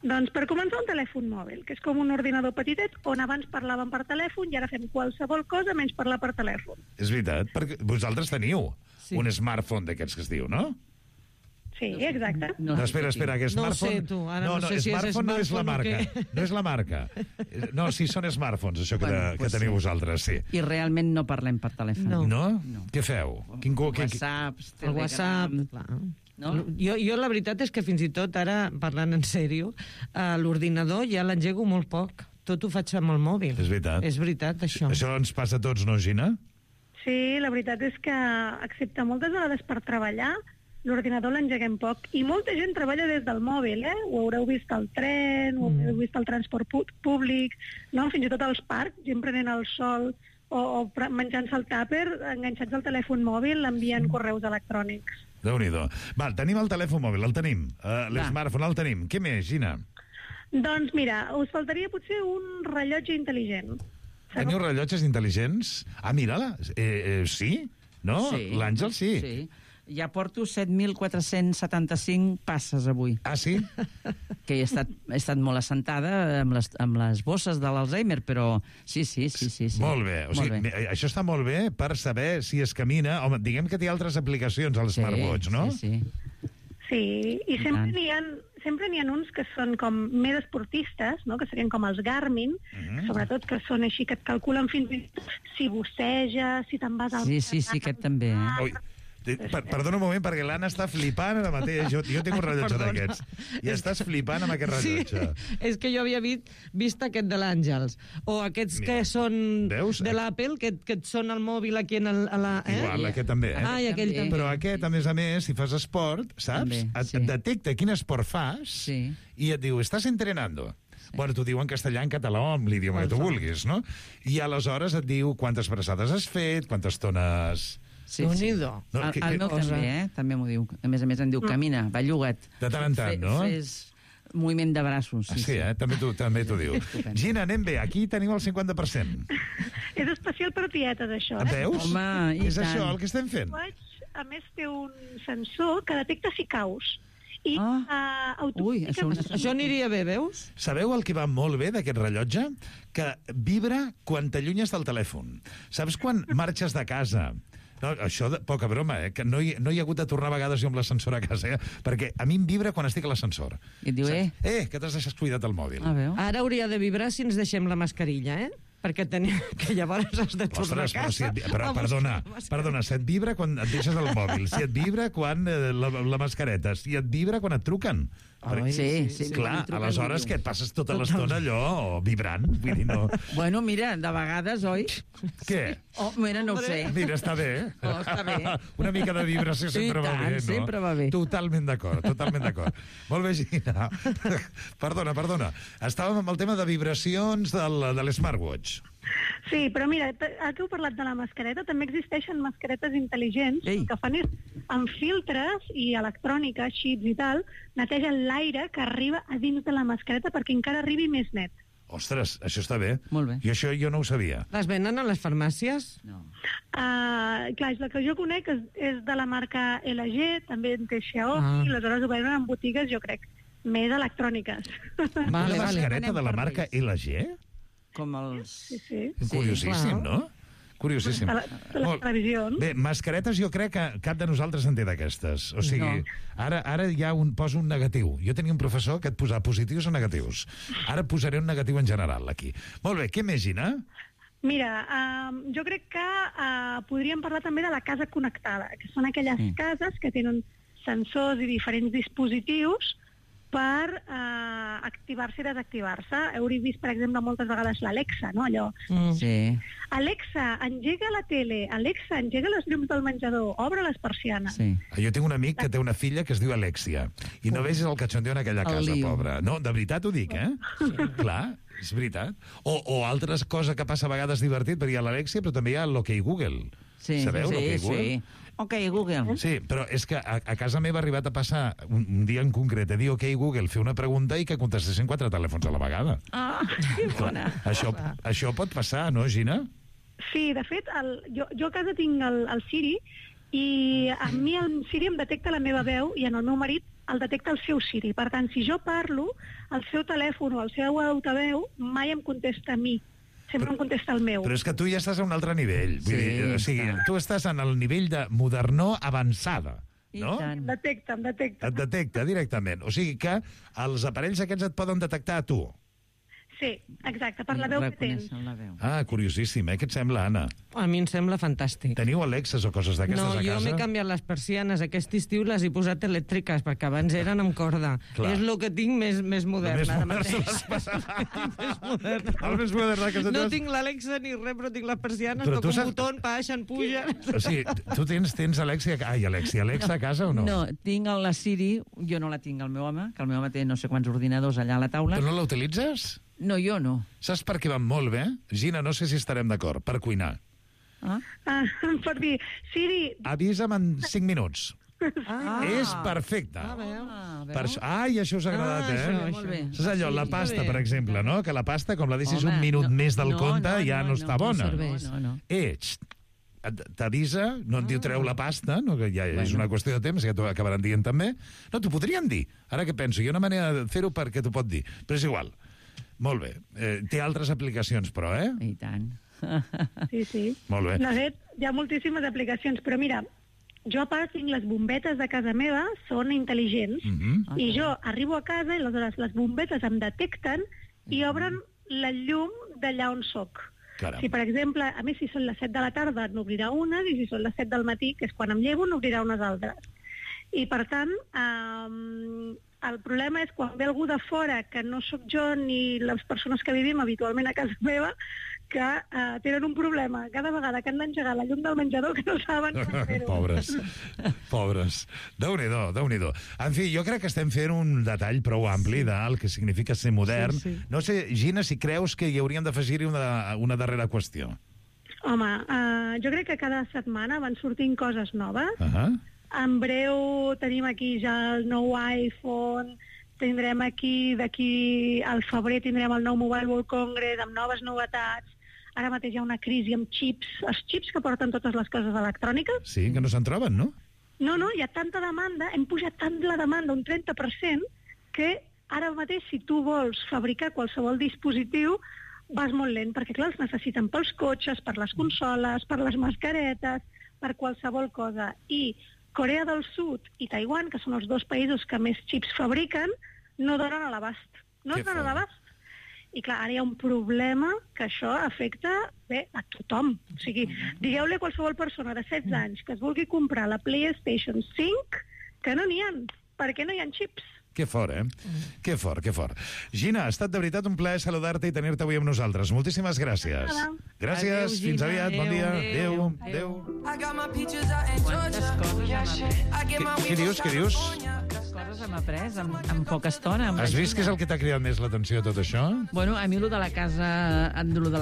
Doncs per començar un telèfon mòbil, que és com un ordinador petitet on abans parlàvem per telèfon i ara fem qualsevol cosa menys parlar per telèfon. És veritat, perquè vosaltres teniu un smartphone d'aquests que es diu, no? Sí, exacte. No, espera, que smartphone... No sé, tu, ara no sé si és smartphone no és la marca. No és la marca. No, sí, són smartphones, això que teniu vosaltres, sí. I realment no parlem per telèfon. No? Què feu? WhatsApps, el WhatsApp, clar. No? Jo la veritat és que fins i tot ara, parlant en sèrio, l'ordinador ja l'engego molt poc. Tot ho faig amb el mòbil. És veritat. És veritat, això. Això ens passa a tots, no, Gina? Sí, la veritat és que, excepte moltes vegades per treballar, l'ordinador l'engeguem poc. I molta gent treballa des del mòbil, eh? Ho haureu vist al tren, ho haureu vist al transport públic, no? Fins i tot als parcs, gent prenent el sol o menjant-se el tàper, enganxats al telèfon mòbil, envien correus electrònics. Déu-n'hi-do. Val, tenim el telèfon mòbil, el tenim. L'smartphone el tenim. Què més, Gina? Doncs mira, us faltaria potser un rellotge intel·ligent. Teniu rellotges intel·ligents? Ah, mira-la. Sí? No? Sí. L'Àngel sí. Sí. Ja porto 7.475 passes avui. Ah, sí? Que he estat molt assentada amb les bosses de l'Alzheimer, però sí. Molt bé. O sigui, això està molt bé per saber si es camina. Home, diguem que té altres aplicacions al smartwatch, no? Sí, i sempre n'hi ha uns que són com més esportistes, no? Que serien com els Garmin, sobretot que són així, que et calculen fins i tot si bosseja, si te'n vas al... Sí, aquest també. Perdona un moment, perquè l'Anna està flipant ara mateix. Jo tinc un rellotge d'aquests. I estàs flipant amb aquest rellotge. Sí, és que jo havia vist aquest de l'Àngels. O aquests que són de l'Apple, que et sona el mòbil aquí a la... Igual, aquest també. I aquell també. Però aquest, a més, si fas esport, saps? Et detecta quin esport fas i et diu, estàs entrenando. Bueno, t'ho diu en castellà, en català o en l'idioma que tu vulguis, no? I aleshores et diu quantes braçades has fet, quantes tones... Sí. El meu també, també m'ho diu. A més em diu, camina, belluga't. De tant en tant, no? Fes moviment de braços. Sí, també t'ho diu. Gina, anem bé. Aquí tenim el 50%. És especial per tietes, això. Veus? Home, és això el que estem fent. A més, té un sensor que detecta si caus. I això aniria bé, veus? Sabeu el que va molt bé d'aquest rellotge? Que vibra quan t'allunyes del telèfon. Saps quan marxes de casa? No, això, poca broma, que no hi ha hagut de tornar a vegades jo amb l'ascensor a casa, perquè a mi em vibra quan estic a l'ascensor. I et diu, que t'has deixat cuidat el mòbil. Ara hauria de vibrar si ens deixem la mascarilla, perquè que llavors has de tornar a casa. Però perdona, si et vibra quan et deixes el mòbil, si et vibra quan la mascareta, si et vibra quan et truquen. Sí. Clar, aleshores que et passes tota l'estona allò vibrant, vull dir, no... Bueno, mira, de vegades, oi? Què? Oh, mira, no ho sé. Mira, està bé. Oh, està bé. Una mica de vibració sempre va bé, no? Sempre va bé. Totalment d'acord. Molt bé, Gina. Perdona. Estàvem amb el tema de vibracions de l'Smartwatch. Sí, però mira, ara que heu parlat de la mascareta, també existeixen mascaretes intel·ligents que fan és, amb filtres i electrònica, xips i tal, netegen l'aire que arriba a dins de la mascareta perquè encara arribi més net. Ostres, això està bé. Molt bé. I això jo no ho sabia. Les venen a les farmàcies? No. Clar, és la que jo conec, és de la marca LG, també en té Xiaomi, i aleshores ho venen en botigues, jo crec, més electròniques. Una mascareta de la marca LG? Com els... Sí. Curiosíssim, no? Curiosíssim. Les televisions. Bé, mascaretes jo crec que cap de nosaltres en té d'aquestes. O sigui, ara ja poso un negatiu. Jo tenia un professor que et posava positius o negatius. Ara posaré un negatiu en general, aquí. Molt bé, què més, Gina? Mira, jo crec que podríem parlar també de la casa connectada, que són aquelles cases que tenen sensors i diferents dispositius per activar-se i desactivar-se. Heu vist, per exemple, moltes vegades l'Alexa, no? Allò. Sí. Alexa, engega la tele. Alexa, engega les llums del menjador. Obre les persianes. Sí. Jo tinc un amic que té una filla que es diu Alexia. I no vegis el cachondeo en aquella casa, pobra. No, de veritat ho dic, Clar, és veritat. O altres coses que passa a vegades divertit, perquè hi ha l'Alexia, però també hi ha l'OK Google. Sí, sabeu l'OK Google? Sí. Ok, Google. Sí, però és que a casa meva ha arribat a passar un dia en concret a dir ok, Google, fer una pregunta i que contestessin 4 telèfons a la vegada. Ah, que bona. Això pot passar, no, Gina? Sí, de fet, jo a casa tinc el Siri i a mi el Siri em detecta la meva veu i en el meu marit el detecta el seu Siri. Per tant, si jo parlo, el seu telèfon o el seu altaveu mai em contesta a mi. Sempre em contesta el meu. Però és que tu ja estàs a un altre nivell. Vull dir, o sigui, tu estàs en el nivell de modernor avançada. No? Em detecta. Et detecta directament. O sigui que els aparells aquests et poden detectar a tu. Sí, exacte, per la veu que tens. Ah, curiosíssim, Què et sembla, Anna? A mi em sembla fantàstic. Teniu Alexes o coses d'aquestes a casa? No, jo m'he canviat les persianes. Aquest estiu les he posat elèctriques, perquè abans eren amb corda. Clar. És el que tinc més modern ara mateix. El més modern de casa No teus. tinc l'Alexa ni res, però tinc les persianes, Però tu toco un saps- botó, baixen, pugen... O sigui, tu tens Alexia... Ai, Alexa a casa o no? No, tinc la Siri, jo no la tinc al meu home, que el meu home té no sé quants ordinadors allà a la taula. Tu no la utilitzes? No, jo no. Saps per què van molt bé? Gina, no sé si estarem d'acord. Per cuinar. Per dir, Siri... Avisa'm en 5 minuts. És perfecte. Ai, això us ha agradat, Saps allò, la pasta, per exemple, no? Que la pasta, com la deixis un minut més del compte, ja no està bona. T'avisa, no et diu treu la pasta, no, que ja és una qüestió de temps, ja t'ho acabaran dient també. No, t'ho podrien dir. Ara que penso, hi ha una manera de fer-ho perquè t'ho pot dir. Però és igual. Molt bé. Té altres aplicacions, però, I tant. Sí. Molt bé. De fet, hi ha moltíssimes aplicacions, però mira, jo a part tinc les bombetes de casa meva, són intel·ligents, i jo arribo a casa i aleshores les bombetes em detecten i obren la llum d'allà on soc. Caram. Si, per exemple, a més, si són les 7 de la tarda, n'obrirà unes, i si són les 7 del matí, que és quan em llevo, n'obrirà unes altres. I, per tant, el problema és quan ve algú de fora, que no sóc jo ni les persones que vivim habitualment a casa meva, que tenen un problema. Cada vegada que han d'engegar la llum del menjador, que no saben com fer-ho. Pobres. Déu-n'hi-do. En fi, jo crec que estem fent un detall prou ampli del que significa ser modern. Sí. No sé, Gina, si creus que hi hauríem d'afegir-hi una darrera qüestió. Home, jo crec que cada setmana van sortint coses noves. En breu tenim aquí ja el nou iPhone, tindrem d'aquí al febrer tindrem el nou Mobile World Congress amb noves novetats. Ara mateix hi ha una crisi amb xips, els xips que porten totes les coses electròniques. Sí, que no se'n troben, no? No, hi ha tanta demanda, hem pujat tant la demanda, un 30%, que ara mateix si tu vols fabricar qualsevol dispositiu vas molt lent, perquè clar, els necessiten pels cotxes, per les consoles, per les mascaretes, per qualsevol cosa. I Corea del Sud i Taiwan, que són els 2 països que més xips fabriquen, no donen a l'abast. No es donen a l'abast. I clar, ara hi ha un problema que això afecta a tothom. O sigui, digueu-li a qualsevol persona de 16 anys que es vulgui comprar la PlayStation 5 que no n'hi ha, perquè no hi ha xips. Que fort, Que fort, que fort. Gina, ha estat de veritat un plaer saludar-te i tenir-te avui amb nosaltres. Moltíssimes gràcies. Gràcies, Adéu, fins Gina. aviat, bon dia. Adéu. Quantes coses hem après. Què dius, què dius? Quantes coses hem après en poca estona. Has vist què és el que t'ha cridat més l'atenció de tot això? Bueno, a mi lo de la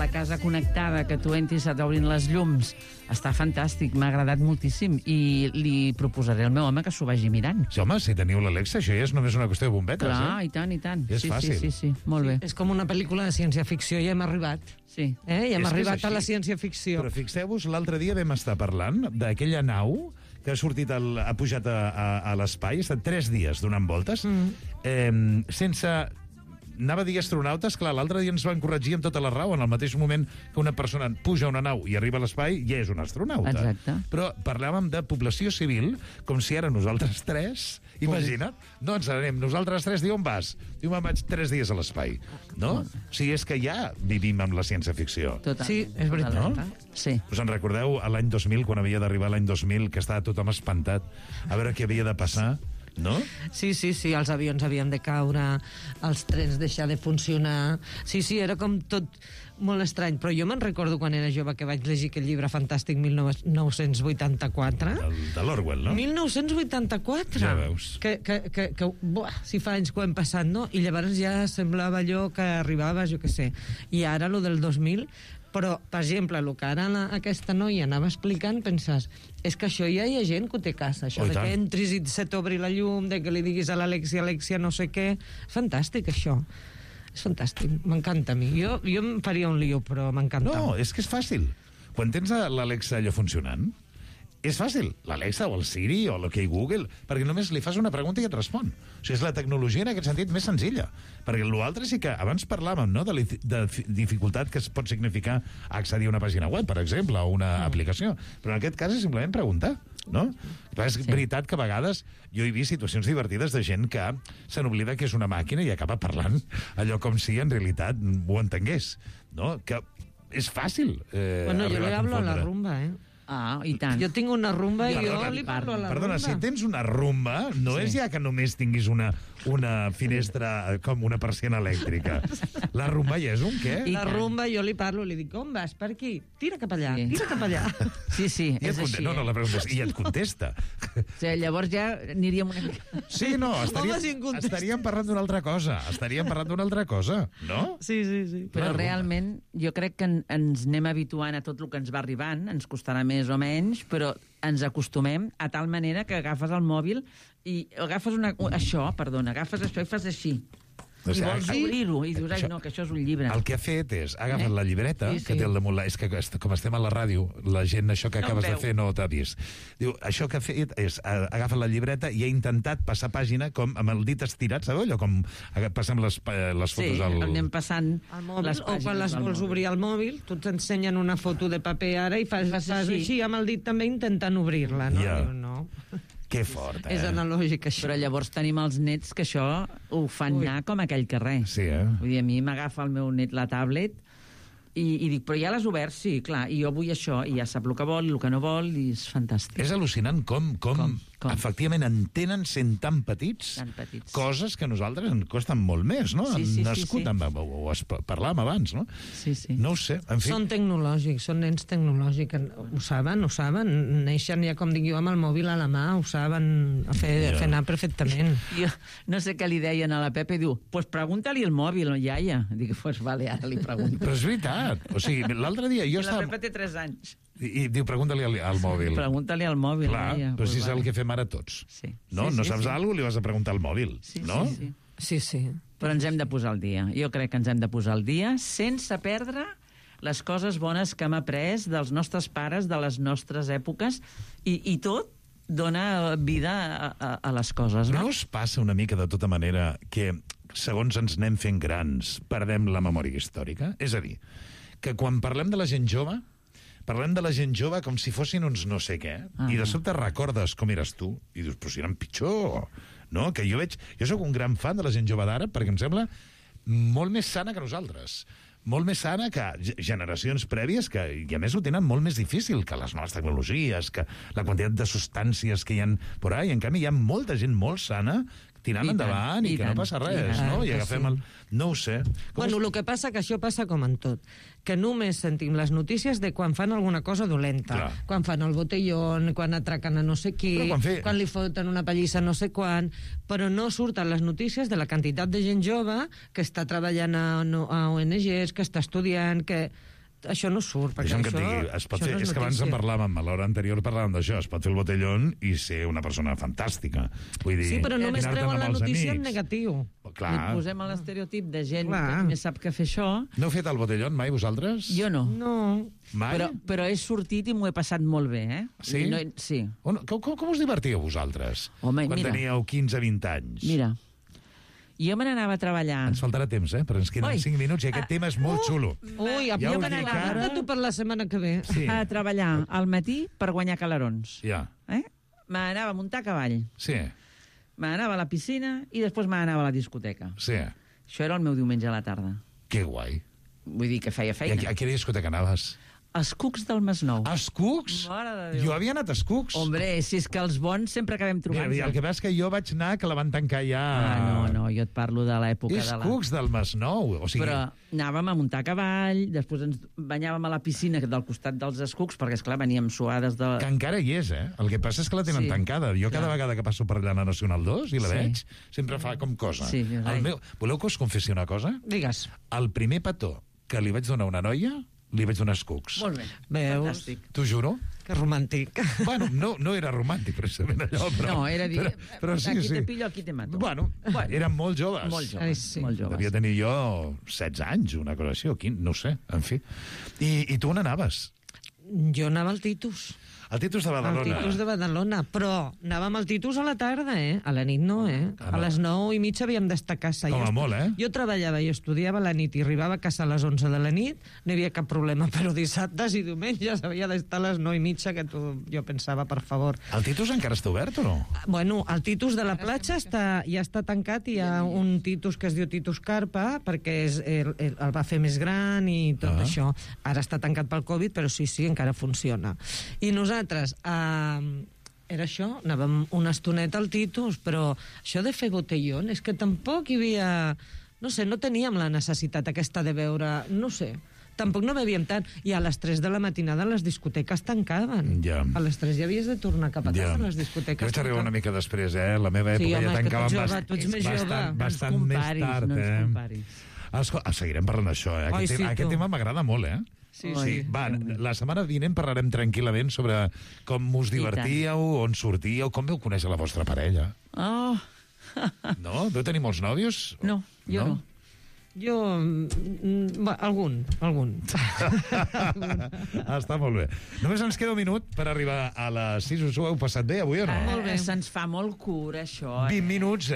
casa connectada, que tu entris, t'obrin les llums, està fantàstic, m'ha agradat moltíssim i li proposaré al meu home que s'ho vagi mirant. Sí, home, si teniu l'Alexa, això ja és només una qüestió de bombetes, Clar, i tant, i tant. És fàcil. Sí, molt bé. És com una pel·lícula de ciència-ficció i hem arribat. Sí. I hem És que és arribat a la així. ciència-ficció. Però fixeu-vos, l'altre dia vam estar parlant d'aquella nau que ha sortit, ha pujat a l'espai, ha estat 3 dies donant voltes, sense... Anava a dir astronautes, clar, l'altre dia ens van corregir amb tota la raó, en el mateix moment que una persona puja a una nau i arriba a l'espai, ja és un astronauta. Exacte. Però parlàvem de població civil, com si ara nosaltres 3, imagina't, no ens anem, nosaltres 3, diu on vas? Diu, me'n vaig 3 dies a l'espai. No? O sigui, és que ja vivim amb la ciència-ficció. Total. Sí, és veritat. No? Sí. Us en recordeu a l'any 2000, quan havia d'arribar l'any 2000, que estava tothom espantat a veure què havia de passar? No? Sí, els avions havien de caure, els trens deixar de funcionar... Sí, era com tot molt estrany, però jo me'n recordo quan era jove que vaig llegir aquest llibre fantàstic 1984. De l'Orwell, no? 1984! Ja veus. Si fa anys que ho hem passat, no? I llavors ja semblava allò que arribava, jo què sé. I ara, lo del 2000... Però, per exemple, el que ara aquesta noia anava explicant, penses, és que això ja hi ha gent que ho té a casa, això de que entris i se t'obri la llum, de que li diguis a l'Alexia no sé què... Fantàstic, això. És fantàstic, m'encanta a mi. Jo em faria un lío, però m'encanta. No, és que és fàcil. Quan tens l'Alexa allò funcionant, és fàcil. L'Alexa o el Siri o l'OK Google, perquè només li fas una pregunta i et respon. O sigui, és la tecnologia en aquest sentit més senzilla. Perquè l'altre sí que abans parlàvem, no?, de dificultat que es pot significar accedir a una pàgina web, per exemple, o una aplicació. Però en aquest cas és simplement preguntar, no? Però és veritat que a vegades jo he vist situacions divertides de gent que se n'oblida que és una màquina i acaba parlant allò com si en realitat ho entengués, no? Que és fàcil Bueno, jo li hablo a la rumba, Ah, i tant. Jo tinc una rumba i jo li parlo a la rumba. Perdona, si tens una rumba, no és ja que només tinguis una finestra com una persiana elèctrica. La rumba ja és un què? La rumba jo li parlo, li dic, on vas? Per aquí? Tira cap allà, tira cap allà. Sí, I és així. No, la pregunta és, i et contesta. O sigui, llavors ja aniríem una mica... Sí, no, estaríem parlant d'una altra cosa. No? Sí. Però realment jo crec que ens anem habituant a tot el que ens va arribant, ens costarà més o menys, però ens acostumem a tal manera que agafes el mòbil i agafes agafes això i fas així. O sigui, I vols obrir-ho, i dius, ai, no, que això és un llibre. El que ha fet és, ha agafat la llibreta, que té al damunt... És que com estem a la ràdio, la gent, això que acabes de fer no t'ha vist. Diu, això que ha fet és, ha agafat la llibreta i ha intentat passar pàgina com amb el dit estirat, sabeu? Allò com passem les fotos al... Sí, anem passant al mòbil, les pàgines. o quan les vols obrir al mòbil, tu t'ensenyen una foto de paper ara i fas així amb el dit també intentant obrir-la, no? Ja. Diu, no. Que fort, És analògic, això. Però llavors tenim els nets que això ho fan anar com aquell carrer. Sí, Vull dir, a mi m'agafa el meu net la tablet i dic, però ja l'has obert? Sí, clar, i jo vull això, i ja sap el que vol i el que no vol, i és fantàstic. És al·lucinant com efectivament entenen, sent tan petits, coses que a nosaltres ens costen molt més, no? Sí. Ho parlàvem abans, no? Sí. No ho sé, en fi. Són tecnològics, són nens tecnològics. Ho saben. Neixen ja, com dic jo, amb el mòbil a la mà, ho saben fer anar perfectament. Jo no sé què li deien a la Pepa i diu, pues pregunta-li el mòbil, iaia. Dic, pues vale, ara li pregunto. Però és veritat. O sigui, l'altre dia jo estava... La Pepa té 3 anys. I diu, pregunta-li al mòbil. Pregunta-li al mòbil. Clar, però si és el que fem ara tots. No saps alguna cosa, li vas a preguntar al mòbil, no? Sí. Però ens hem de posar al dia. Jo crec que ens hem de posar al dia sense perdre les coses bones que hem après dels nostres pares, de les nostres èpoques, i tot dona vida a les coses. No us passa una mica, de tota manera, que segons ens anem fent grans, perdem la memòria històrica? És a dir, que quan parlem de la gent jove, parlem de la gent jove com si fossin uns no sé què, i de sobte recordes com eres tu, i dius, però si eren pitjor, no? Que jo sóc un gran fan de la gent jove d'ara, perquè em sembla molt més sana que nosaltres, molt més sana que generacions prèvies que, i a més, ho tenen molt més difícil que les noves tecnologies, que la quantitat de substàncies que hi ha por ahí. En canvi, hi ha molta gent molt sana tirant endavant i que no passa res, no? I agafem el... No ho sé. Bueno, el que passa que això passa com en tot, que només sentim les notícies de quan fan alguna cosa dolenta, quan fan el botellón, quan atraquen a no sé qui, quan li foten una pallissa no sé quan, però no surten les notícies de la quantitat de gent jove que està treballant a ONGs, que està estudiant, que... Això no surt, perquè que et digui, es pot fer, és que abans en parlàvem, a l'hora anterior parlàvem d'això, es pot fer el botellón i ser una persona fantàstica. Vull dir, sí, però només treuen la notícia en negatiu. Li posem l'estereotip de gent que només sap que fer això. No heu fet el botellón mai, vosaltres? Jo no. No. Mai? Però he sortit i m'ho he passat molt bé, eh? Sí? Sí. Com us divertíeu vosaltres? Home, quan teníeu 15-20 anys? Mira, jo me n'anava a treballar... Ens faltarà temps, però ens queden 5 minuts i aquest tema és molt xulo. Ui, jo me n'anava tu per la setmana que ve. A treballar al matí per guanyar calarons. Ja. Me n'anava a muntar a cavall. Sí. Me n'anava a la piscina i després me n'anava a la discoteca. Sí. Això era el meu diumenge a la tarda. Que guai. Vull dir que feia feina. I a quina discoteca anaves? Els Cucs del Masnou. Els Cucs? Mare de Déu. Jo havia anat als Cucs. Hombre, si és que els bons sempre acabem trobant-nos. Mira, el que passa és que jo vaig anar, que la van tancar ja... No, jo et parlo de l'època de la... És Cucs del Masnou, o sigui... Però anàvem a muntar a cavall, després ens banyàvem a la piscina del costat dels Escucs, perquè, esclar, veníem suades de... Que encara hi és, El que passa és que la tenen tancada. Jo cada vegada que passo per allà a la Nacional 2 i la veig, sempre fa com cosa. Sí, Voleu que us confessi una cosa? Digues. El primer petó que li vaig donar a una noia, li vaig donar Escucs. Molt bé. Veus? T'ho juro? Que romàntic. Bueno, no era romàntic, precisament, allò, però... No, era dir, però sí, aquí te pillo, aquí te mato. Bueno, eren molt joves. Molt joves, molt joves. Devia tenir jo 16 anys, una cosa així, o 15, no ho sé, en fi. I tu on anaves? Jo anava al Titus. Al Titus de Badalona. Al Titus de Badalona, però anàvem al Titus a la tarda, A la nit no, A les 9:30 havíem d'estar a casa. Com a molt, Jo treballava i estudiava a la nit i arribava a casa a les 11 de la nit, no hi havia cap problema, però dissabtes i diumenges havia d'estar a les 9:30, que jo pensava, per favor. El Titus encara està obert o no? Bueno, el Titus de la platja ja està tancat, i hi ha un Titus que es diu Titus Carpa, perquè el va fer més gran i tot això. Ara està tancat pel Covid, però sí, encara funciona. I nosaltres, era això, anàvem una estoneta al Titus, però això de fer botellón és que tampoc hi havia... No sé, no teníem la necessitat aquesta de veure... No sé, tampoc no bebíem tant. I a les 3 de la matinada les discoteques tancaven. Ja. A les 3 ja havies de tornar cap a casa, les discoteques. Jo vaig arribar una mica després, La meva època ja tancaven bastant més tard, No ens comparis. Seguirem parlant d'això, Aquest tema m'agrada molt, Sí. Va, la setmana vinent parlarem tranquil·lament sobre com us divertíeu, on sortíeu, com veu conèixer la vostra parella. Oh. No? Veu tenir molts nòvios? No, jo no. Jo... algun. Està molt bé. Només ens queda un minut per arribar a les 6. Us ho heu passat bé avui o no? Molt bé. Se'ns fa molt curt, això. 20 minuts,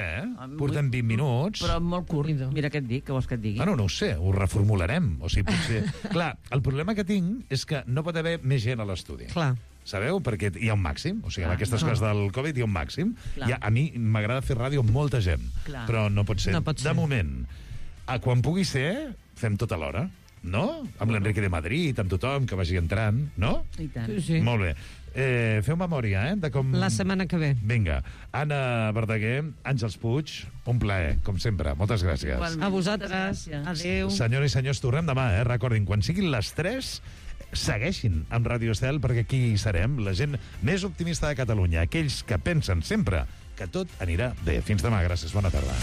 Portem 20 minuts. Però molt curt. Mira què et dic, què vols que et digui? No ho sé, ho reformularem. O sigui, potser... Clar, el problema que tinc és que no pot haver més gent a l'estudi. Clar. Sabeu? Perquè hi ha un màxim. O sigui, amb aquestes coses del Covid hi ha un màxim. A mi m'agrada fer ràdio amb molta gent. Però no pot ser. De moment... Quan pugui ser, fem tot alhora, no? Amb l'Enrique de Madrid, amb tothom que vagi entrant, no? I tant. Sí. Molt bé. Feu memòria, de com... La setmana que ve. Vinga. Anna Verdaguer, Àngels Puig, un plaer, com sempre. Moltes gràcies. A vosaltres. Adéu. Senyores i senyors, tornem demà, Recordin, quan siguin les 3, segueixin amb Ràdio Estel, perquè aquí hi serem, la gent més optimista de Catalunya, aquells que pensen sempre que tot anirà bé. Fins demà, gràcies, bona tarda.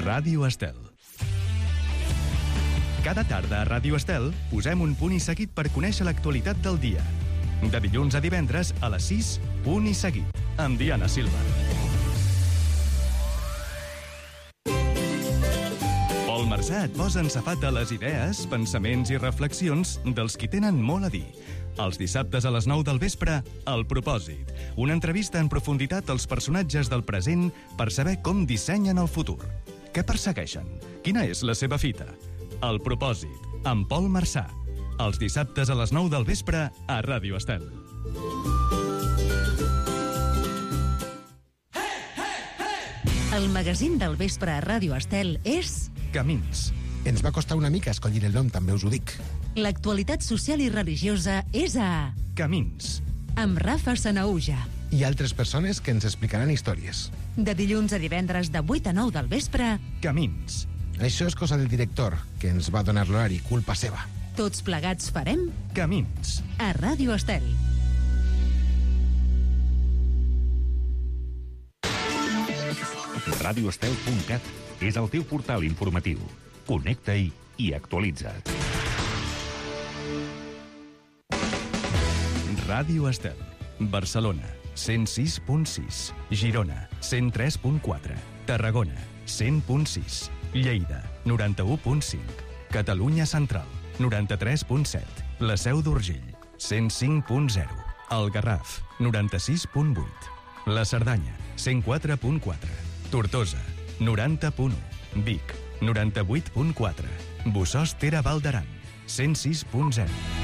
Ràdio Estel. Cada tarda a Ràdio Estel posem un punt i seguit per conèixer l'actualitat del dia. De dilluns a divendres a les 6, punt i seguit, amb Diana Silva. Pol Marsà et posa en safata les idees, pensaments i reflexions dels qui tenen molt a dir. Els dissabtes a les 9 del vespre, El Propòsit. Una entrevista en profunditat als personatges del present per saber com dissenyen el futur. Què persegueixen? Quina és la seva fita? El Propòsit, amb Pol Marsà. Els dissabtes a les 9 del vespre a Ràdio Estel. El magazín del vespre a Ràdio Estel és... Camins, Ens va costar una mica escollir el nom, també us ho dic. L'actualitat social i religiosa és a Camins. amb Rafa Sanaúja. I altres persones que ens explicaran històries. De dilluns a divendres de 8 a 9 del vespre. Camins. Això és cosa del director, que ens va donar l'horari, culpa seva. Tots plegats farem Camins. a Ràdio Estel. radioestel.cat és el teu portal informatiu. Connecta-hi i actualitza't. Ràdio Estel. Barcelona, 106.6. Girona, 103.4. Tarragona, 100.6. Lleida, 91.5. Catalunya Central, 93.7. La Seu d'Urgell, 105.0. El Garraf, 96.8. La Cerdanya, 104.4. Tortosa, 90.1. Vic, 98.4. Bossòst Val d'Aran, 106.0.